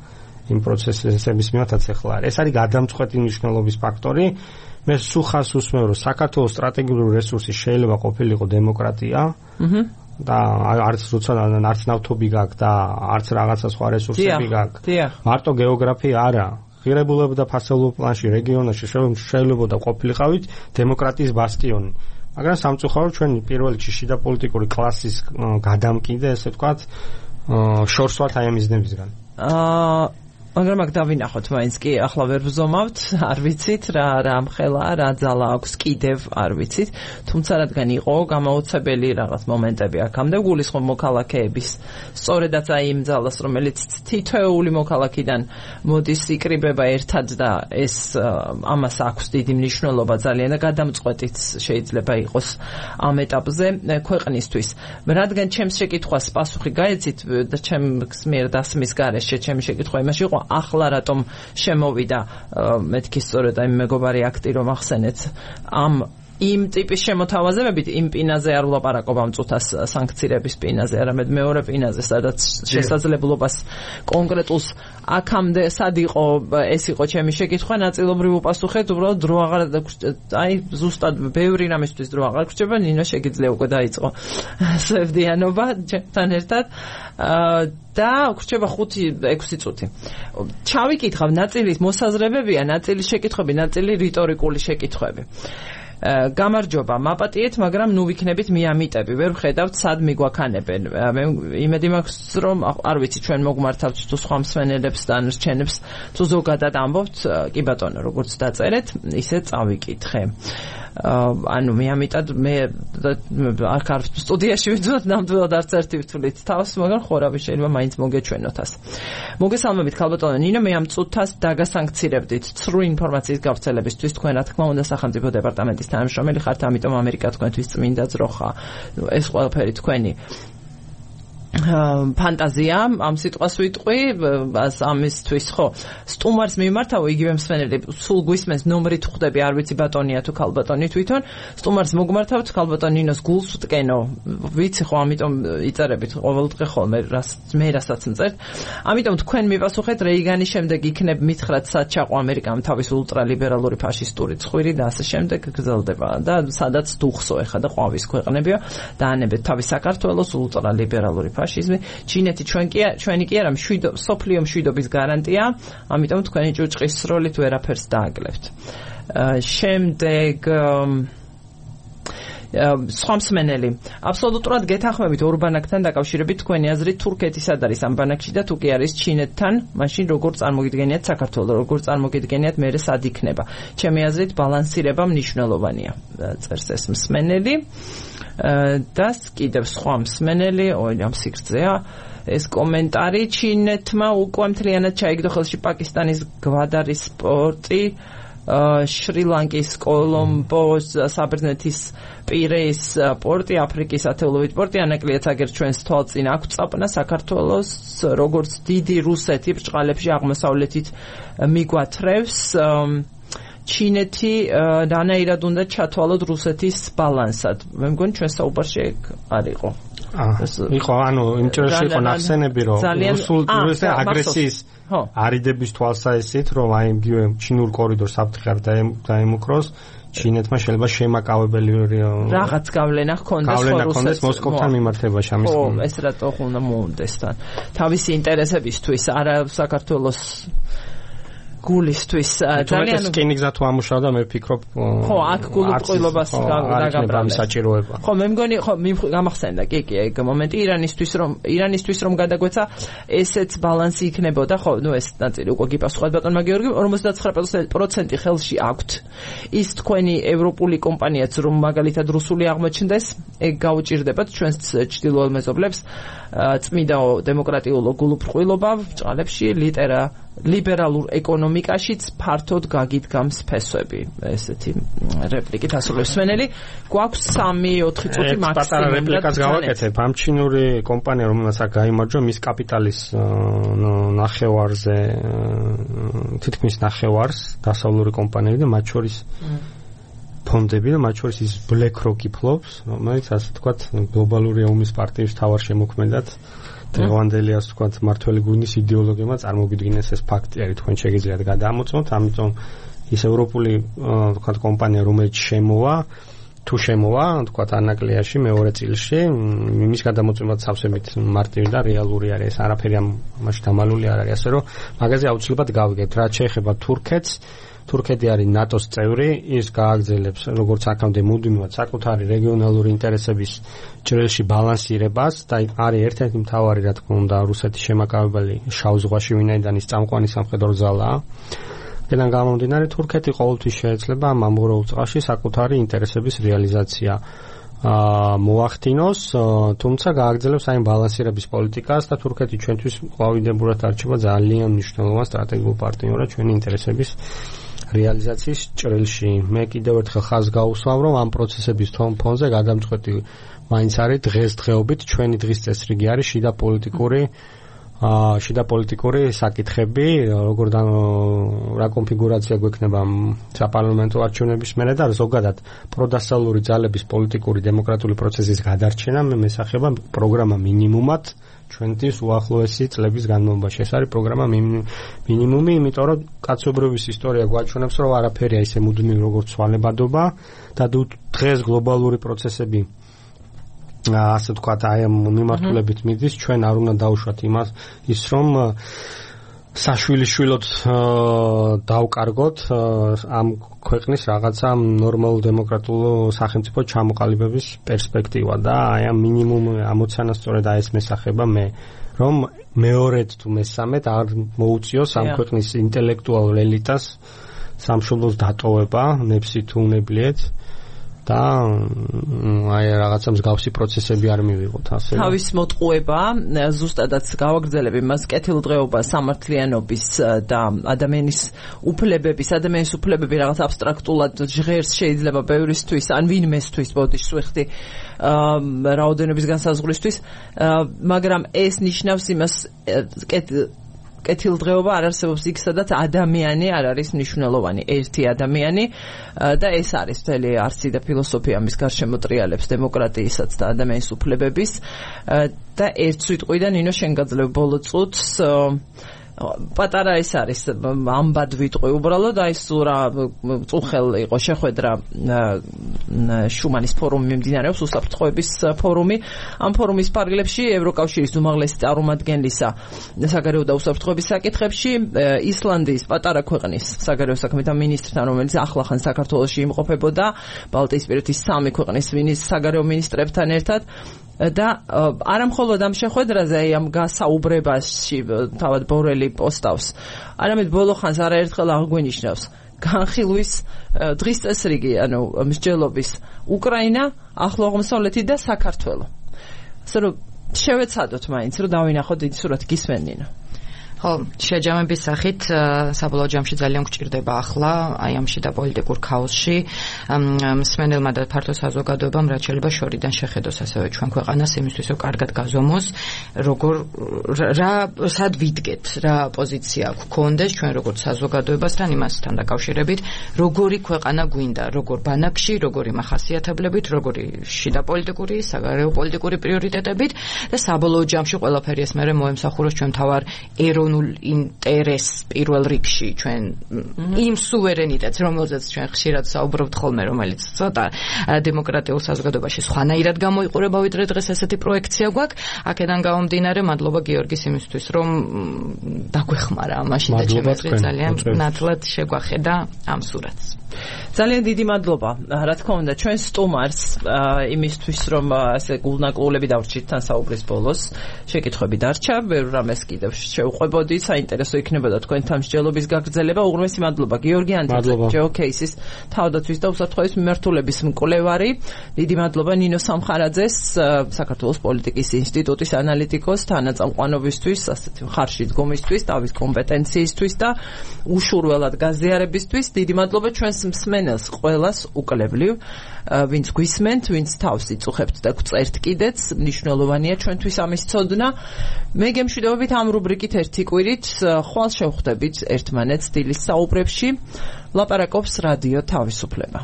იმ პროცესების მიმართაც ახლა არის. ეს არის გადამწყვეტი მნიშვნელობის ფაქტორი. მე სუხას უსმევ, რომ საქართველოს სტრატეგიული რესურსი შეიძლება ყოფილიყო დემოკრატია და არც როცა არც ნავთობი გაქვს და არც რაღაცა სხვა რესურსები გაქვს. მარტო გეოგრაფია არა. ღირებულება და ფასეულობ პლანში რეგიონებში შეიძლება ყოფილიყავით დემოკრატიის ბასტიონი. მაგრამ სამწუხაროდ ჩვენ პირველ რიგში შიდა პოლიტიკური კლასის გადამკიდე, ესე ვთქვათ, შორსვათ აი ამის ნებისგან. აა მაგრამ აქ დავინახოთ მაინც კი ახლა ვერ ვზომავთ, არ ვიცით რა რა მხელა, რა ძალა აქვს კიდევ არ ვიცით, თუმცა რადგან იყო გამოუცებელი რაღაც მომენტები აქამდე გულისხმობ მოქალაქეების სწორედაც აი იმ ძალას, რომელიც თითოეული მოქალაქიდან მოდის იკრიბება ერთად და ეს ამას აქვს დიდი მნიშვნელობა ძალიან და გადამწყვეტიც შეიძლება იყოს ამ ეტაპზე ქვეყნისთვის. რადგან ჩემს შეკითხვას პასუხი გაეცით და ჩემს მიერ დასმის გარეშე ჩემი შეკითხვა იმაში იყო ახლა რატომ შემოვიდა მეთქი სწორედ აი მეგობარი აქტი რომ ახსენეთ ამ იმ ტიპის შემოთავაზებებით იმ პინაზე არ ვლაპარაკობ ამ წუთას სანქციების პინაზე, არამედ მეორე პინაზე, სადაც შესაძლებლობას კონკრეტულს აქამდე სად იყო ეს იყო ჩემი შეკითხვა, ნაწილობრივ უპასუხეთ, უბრალოდ დრო აღარ აი ზუსტად ბევრი რამისთვის დრო აღარ გრჩება, ნინო შეგიძლია უკვე დაიწყო სევდიანობა ჩემთან ერთად და გრჩება ხუთი ექვსი წუთი. ჩავიკითხავ, ნაწილი მოსაზრებებია, ნაწილი შეკითხვები, ნაწილი რიტორიკული შეკითხვები. გამარჯობა, მაპატიეთ, მაგრამ ნუ ვიქნებით მიამიტები, ვერ ვხედავთ სად მიგვაქანებენ. მე იმედი მაქვს, რომ არ ვიცი ჩვენ მოგმართავთ თუ სხვა მსმენელებს და რჩენებს თუ ზოგადად ამბობთ, კი ბატონო, როგორც დაწერეთ, ისე წავიკითხე. ანუ მიამიტად მე არ ხარ სტუდიაში ვიძვათ ნამდვილად არც ერთი ვთვლით თავს, მაგრამ ხორავი შეიძლება მაინც მოგეჩვენოთ ას. მოგესალმებით ქალბატონო ნინო, მე ამ წუთას დაგასანქცირებდით ცრუ ინფორმაციის გავრცელებისთვის, თქვენ რა თქმა უნდა სახელმწიფო დეპარტამენტის თანამშრომელი ხართ, ამიტომ ამერიკა თქვენთვის წმინდა ძროხა. ეს ყველაფერი თქვენი ფანტაზია, ამ სიტყვას ვიტყვი, ამისთვის ხო სტუმარს მიმართავ იგივე მსმენელი სულ გვისმენს ნომრით ხვდები, არ ვიცი ბატონია თუ ქალბატონი თვითონ, სტუმარს მოგმართავთ ქალბატონ ნინოს გულს ვტკენო, ვიცი ხო, ამიტომ იწერებით ყოველდღე ხოლმე მე რასაც მწერთ, ამიტომ თქვენ მიპასუხეთ რეიგანის შემდეგ იქნებ მითხრათ სად ჩაყო ამერიკამ თავის ულტრალიბერალური ფაშისტური ცხვირი და ასე შემდეგ გრძელდება და სადაც დუხსო ეხა და ყვავის ქვეყნებია და ანებეთ თავის საქართველოს ულტრალიბერალური ფაშიზმი, ჩინეთი ჩვენ კი ჩვენი კი არა მშვიდო სოფლიო მშვიდობის გარანტია, ამიტომ თქვენი ჭუჭყის სროლით ვერაფერს დააგლებთ. შემდეგ სხვა მსმენელი. აბსოლუტურად გეთანხმებით ორბანაკთან დაკავშირებით თქვენი აზრით თურქეთის ად არის ამ ბანაკში და თუ კი არის ჩინეთთან, მაშინ როგორ წარმოგიდგენიათ საქართველოს, როგორ წარმოგიდგენიათ მე სად იქნება. ჩემი აზრით ბალანსირება მნიშვნელოვანია. წერს ეს მსმენელი. და კიდევ სხვა მსმენელი, ოი ამ სიგრძეა ეს კომენტარი ჩინეთმა უკვე მთლიანად ჩაიგდო ხელში პაკისტანის გვადარის პორტი შრი-ლანკის კოლომბოს საბერძნეთის პირეის პორტი აფრიკის ათეულობით პორტი ანაკლიაც აგერ ჩვენს თვალწინ აქვს წაპნა საქართველოს როგორც დიდი რუსეთი ბრჭყალებში აღმოსავლეთით მიგვათრევს ჩინეთი დანაირად უნდა ჩათვალოთ რუსეთის ბალანსად მე მგონი ჩვენ საუბარში ეგ არ იყო იყო ანუ იმ ჭრილში იყო ნახსენები რომ რუსული აგრესიის არიდების თვალსაჩინით რომ აი იგივე ჩინურ კორიდორს საფრთხე არ დაემუქროს ჩინეთმა შეიძლება შემაკავებელი რაღაც გავლენა ჰქონდეს გავლენა ჰქონდეს მოსკოვთან მიმართებაში ამის ხო ეს რატო უნდა მოუნდეს თან თავისი ინტერესებისთვის არა საქართველოს გულისთვის ძალიან სკინიგზა თუ ამუშავდა მე ვფიქრობ ხო აქ გულუბრყვილობას დაგაბრალებს საჭიროება ხო მე მგონი ხო გამახსენდა კი კი ეგ მომენტი ირანისთვის რომ ირანისთვის რომ გადაგვეცა ესეც ბალანსი იქნებოდა ხო ნუ ეს ნაწილი უკვე გიპასუხეთ ბატონმა გიორგი ორმოცდაცხრა პროცენტი ხელში აქვთ ის თქვენი ევროპული კომპანიაც რომ მაგალითად რუსული აღმოჩნდეს ეგ გაუჭირდებათ ჩვენს ჩრდილოელ მეზობლებს წმიდა დემოკრატიულო გულუბრყვილობა ბრჭყალებში ლიტერა ლიბერალურ ეკონომიკაშიც ფართოდ გაგიდგამს ფესვები ესეთი რეპლიკით ასრულებს მსმენელი გვაქვს სამი ოთხი წუთი მაქსიმუმ პატარა რეპლიკას გავაკეთებ ამ ჩინური კომპანია რომელსაც აქ გაიმარჯვა მის კაპიტალის ნახევარზე თითქმის ნახევარს დასავლური კომპანიები და მათ შორის ფონდები და მათ შორის ის BlackRock ფლობს რომელიც ასე თქვათ გლობალური ომის პარტიის თავარ შემოქმედად დღევანდელიას თქვათ მართველი გუნდის იდეოლოგიებმა წარმოგიდგინეს ეს ფაქტი არის თქვენ შეგიძლიათ გადაამოწმოთ ამიტომ ის ევროპული თქვათ კომპანია რომელიც შემოვა თუ შემოვა თქვათ ანაკლიაში მეორე წილში იმის გადამოწმებაც სავსებით მარტივი და რეალური არის არაფერი ამაში დამალული არ არის ასე რომ მაგაზე აუცილებლად გავიგებთ რაც შეეხება თურქეთს თურქეთი არის ნატოს წევრი, ის გააგრძელებს როგორც აქამდე მუდმივად საკუთარი რეგიონალური ინტერესების ჭრილში ბალანსირებას და არის ერთ-ერთი მთავარი რა თქმა უნდა რუსეთის შემაკავებელი შავ ზღვაში ვინაიდან ის წამყვანი სამხედრო ძალაა. აქედან გამომდინარე თურქეთი ყოველთვის შეეძლება ამ ამღვრეულ წყალში საკუთარი ინტერესების რეალიზაცია მოახდინოს, თუმცა გააგრძელებს აი ბალანსირების პოლიტიკას და თურქეთი ჩვენთვის ყვავილდებურად არჩება ძალიან მნიშვნელოვან სტრატეგიულ პარტნიორად ჩვენი ინტერესების რეალიზაციის ჭრილში. მე კიდევ ერთხელ ხაზს გაუსვამ, რომ ამ პროცესების ფონზე გადამწყვეტი მაინც არის დღესდღეობით ჩვენი დღის წესრიგი არის შიდა პოლიტიკური აა შიდა პოლიტიკური საკითხები, როგორ რა კონფიგურაცია გვექნება საპარლამენტო არჩევნების მერე და ზოგადად პროდასავლური ძალების პოლიტიკური დემოკრატიული პროცესის გადარჩენა მე მესახება პროგრამა მინიმუმად ჩვენთვის უახლოესი წლების განმავლობაში. ეს არის პროგრამა მინიმუმი, იმიტომ რომ კაცობრიობის ისტორია გვაჩვენებს, რომ არაფერია ისე მუდმივი როგორც ცვალებადობა და დღეს გლობალური პროცესები ასე ვთქვათ, აი ამ მიმართულებით მიდის, ჩვენ არ უნდა დავუშვათ იმას ის რომ საშვილიშვილოდ დავკარგოთ ამ ქვეყნის რაღაცა ნორმალურ დემოკრატიულ სახელმწიფო ჩამოყალიბების პერსპექტივა და აი ამ მინიმუმ ამოცანას სწორედ აი ეს მესახება მე რომ მეორედ თუ მესამედ არ მოუწიოს ამ ქვეყნის ინტელექტუალურ ელიტას სამშობლოს დატოვება ნებსი თუ უნებლიეთ და აი რაღაცა მსგავსი პროცესები არ მივიღოთ ასე. თავის მოტყუება ზუსტადაც გავაგრძელებ იმას კეთილდღეობა სამართლიანობის და ადამიანის უფლებების, ადამიანის უფლებები რაღაც აბსტრაქტულად ჟღერს შეიძლება ბევრისთვის ან ვინმესთვის ბოდიში სვიხდი რაოდენობის განსაზღვრისთვის, მაგრამ ეს ნიშნავს იმას კეთილდღეობა არ არსებობს იქ სადაც ადამიანი არ არის მნიშვნელოვანი, ერთი ადამიანი და ეს არის მთელი არსი და ფილოსოფია მის გარშემო ტრიალებს დემოკრატიისაც და ადამიანის უფლებების და ერთ სიტყვიდან ინო შენ გაძლევ ბოლო წუთს პატარა ის არის ამბად ვიტყვი უბრალოდ აი ეს რა წუხელ იყო შეხვედრა შუმანის ფორუმი მიმდინარეობს უსაფრთხოების ფორუმი ამ ფორუმის პარალელში ევროკავშირის უმაღლესი წარმომადგენლისა საგარეო და უსაფრთხოების საკითხებში ისლანდიის პატარა ქვეყნის საგარეო საქმეთა მინისტრთან რომელიც ახლახან საქართველოში იმყოფებოდა ბალტიისპირეთის სამი ქვეყნის საგარეო მინისტრებთან ერთად და არა მხოლოდ ამ შეხვედრაზე აი ამ გასაუბრებაში თავად ბორელი პოსტავს არამედ ბოლო ხანს არაერთხელ აღგვენიშნავს განხილვის დღის წესრიგი ანუ მსჯელობის უკრაინა ახლო აღმოსავლეთი და საქართველო ასე რომ შევეცადოთ მაინც რომ დავინახოთ დიდი სურათი გისმენინო ხო, შეჯამების სახით საბოლოო ჯამში ძალიან გვჭირდება ახლა აი ამ შიდა პოლიტიკურ ქაოსში მსმენელმა და ფართო საზოგადოებამ რაც შეიძლება შორიდან შეხედოს ასევე ჩვენ ქვეყანას იმისთვის რომ კარგად გაზომოს როგორ რა სად ვიდგეთ რა პოზიცია გვქონდეს ჩვენ როგორც საზოგადოებასთან იმასთან დაკავშირებით როგორი ქვეყანა გვინდა როგორ ბანაკში როგორი მახასიათებლებით როგორი შიდა პოლიტიკური საგარეო პოლიტიკური პრიორიტეტებით და საბოლოო ჯამში ყველაფერი ეს მერე მოემსახუროს ჩვენ თავარ ეროვნულ ინტერესს პირველ რიგში ჩვენ იმ სუვერენიტეტს რომელზეც ჩვენ ხშირად საუბრობთ ხოლმე რომელიც ცოტა დემოკრატიულ საზოგადოებაში სხვანაირად გამოიყურება ვიდრე დღეს ესეთი პროექცია გვაქვს აქედან გამომდინარე მადლობა გიორგის იმისთვის რომ დაგვეხმარა მაშინ და ჩემი ძალიან ნათლად შეგვახედა ამ სურათს ძალიან დიდი მადლობა რა თქმა უნდა ჩვენ სტუმარს იმისთვის რომ ასე გულნაკლებები დავრჩით თან საუბრის ბოლოს შეკითხვები დარჩა ვერ რამეს კიდევ შევყვებოდი საინტერესო იქნებოდა თქვენთან მსჯელობის გაგრძელება უღრმესი მადლობა გიორგი ანტაძე ჯეოკეისის თავდაცვის და უსაფრთხოების მიმართულების მკვლევარი დიდი მადლობა ნინო სამხარაძეს საქართველოს პოლიტიკის ინსტიტუტის ანალიტიკოს თანაწამყვანობისთვის ასეთი ხარში დგომისთვის თავის კომპეტენციისთვის და უშურველად გაზიარებისთვის დიდი მადლობა ჩვენს მსმენელს ყველას უკლებლივ ვინც გვისმენთ ვინც თავს იწუხებთ და გწერთ კიდეც მნიშვნელოვანია ჩვენთვის ამის ცოდნა მე გემშვიდობებით ამ რუბრიკით ერთი კვირით ხვალ შევხვდებით ერთმანეთს დილის საუბრებში ლაპარაკობს რადიო თავისუფლება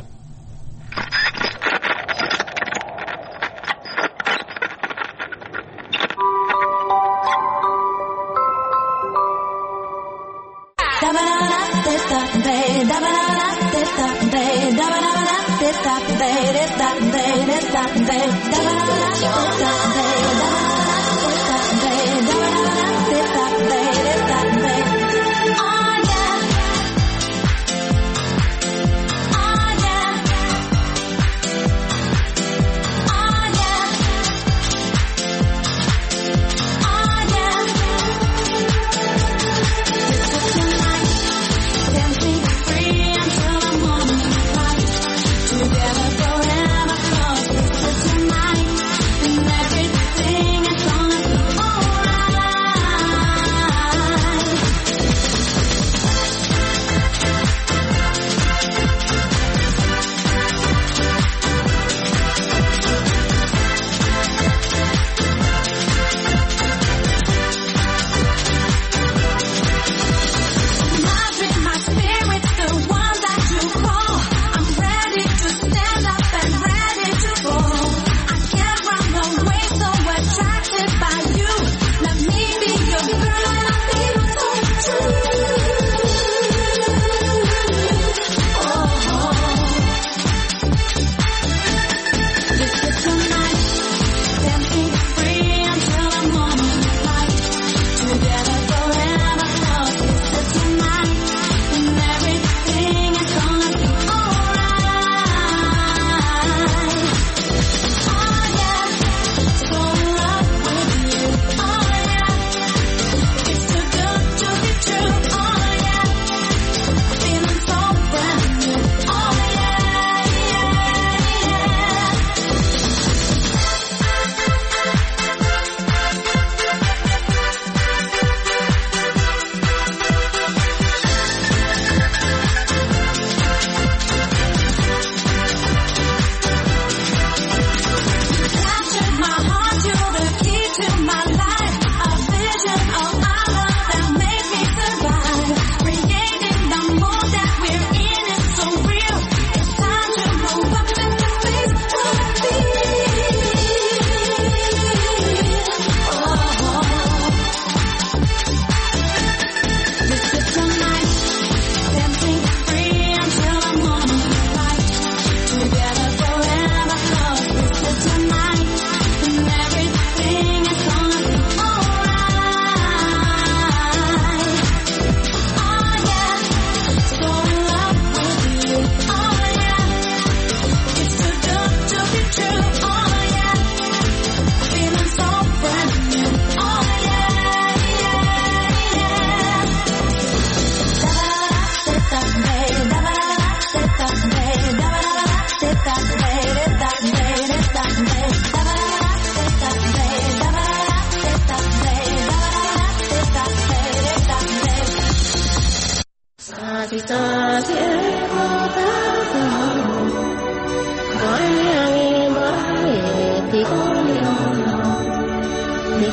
Together forever, close to tonight.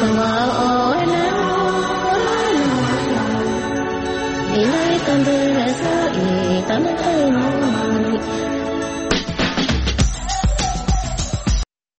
ხმალ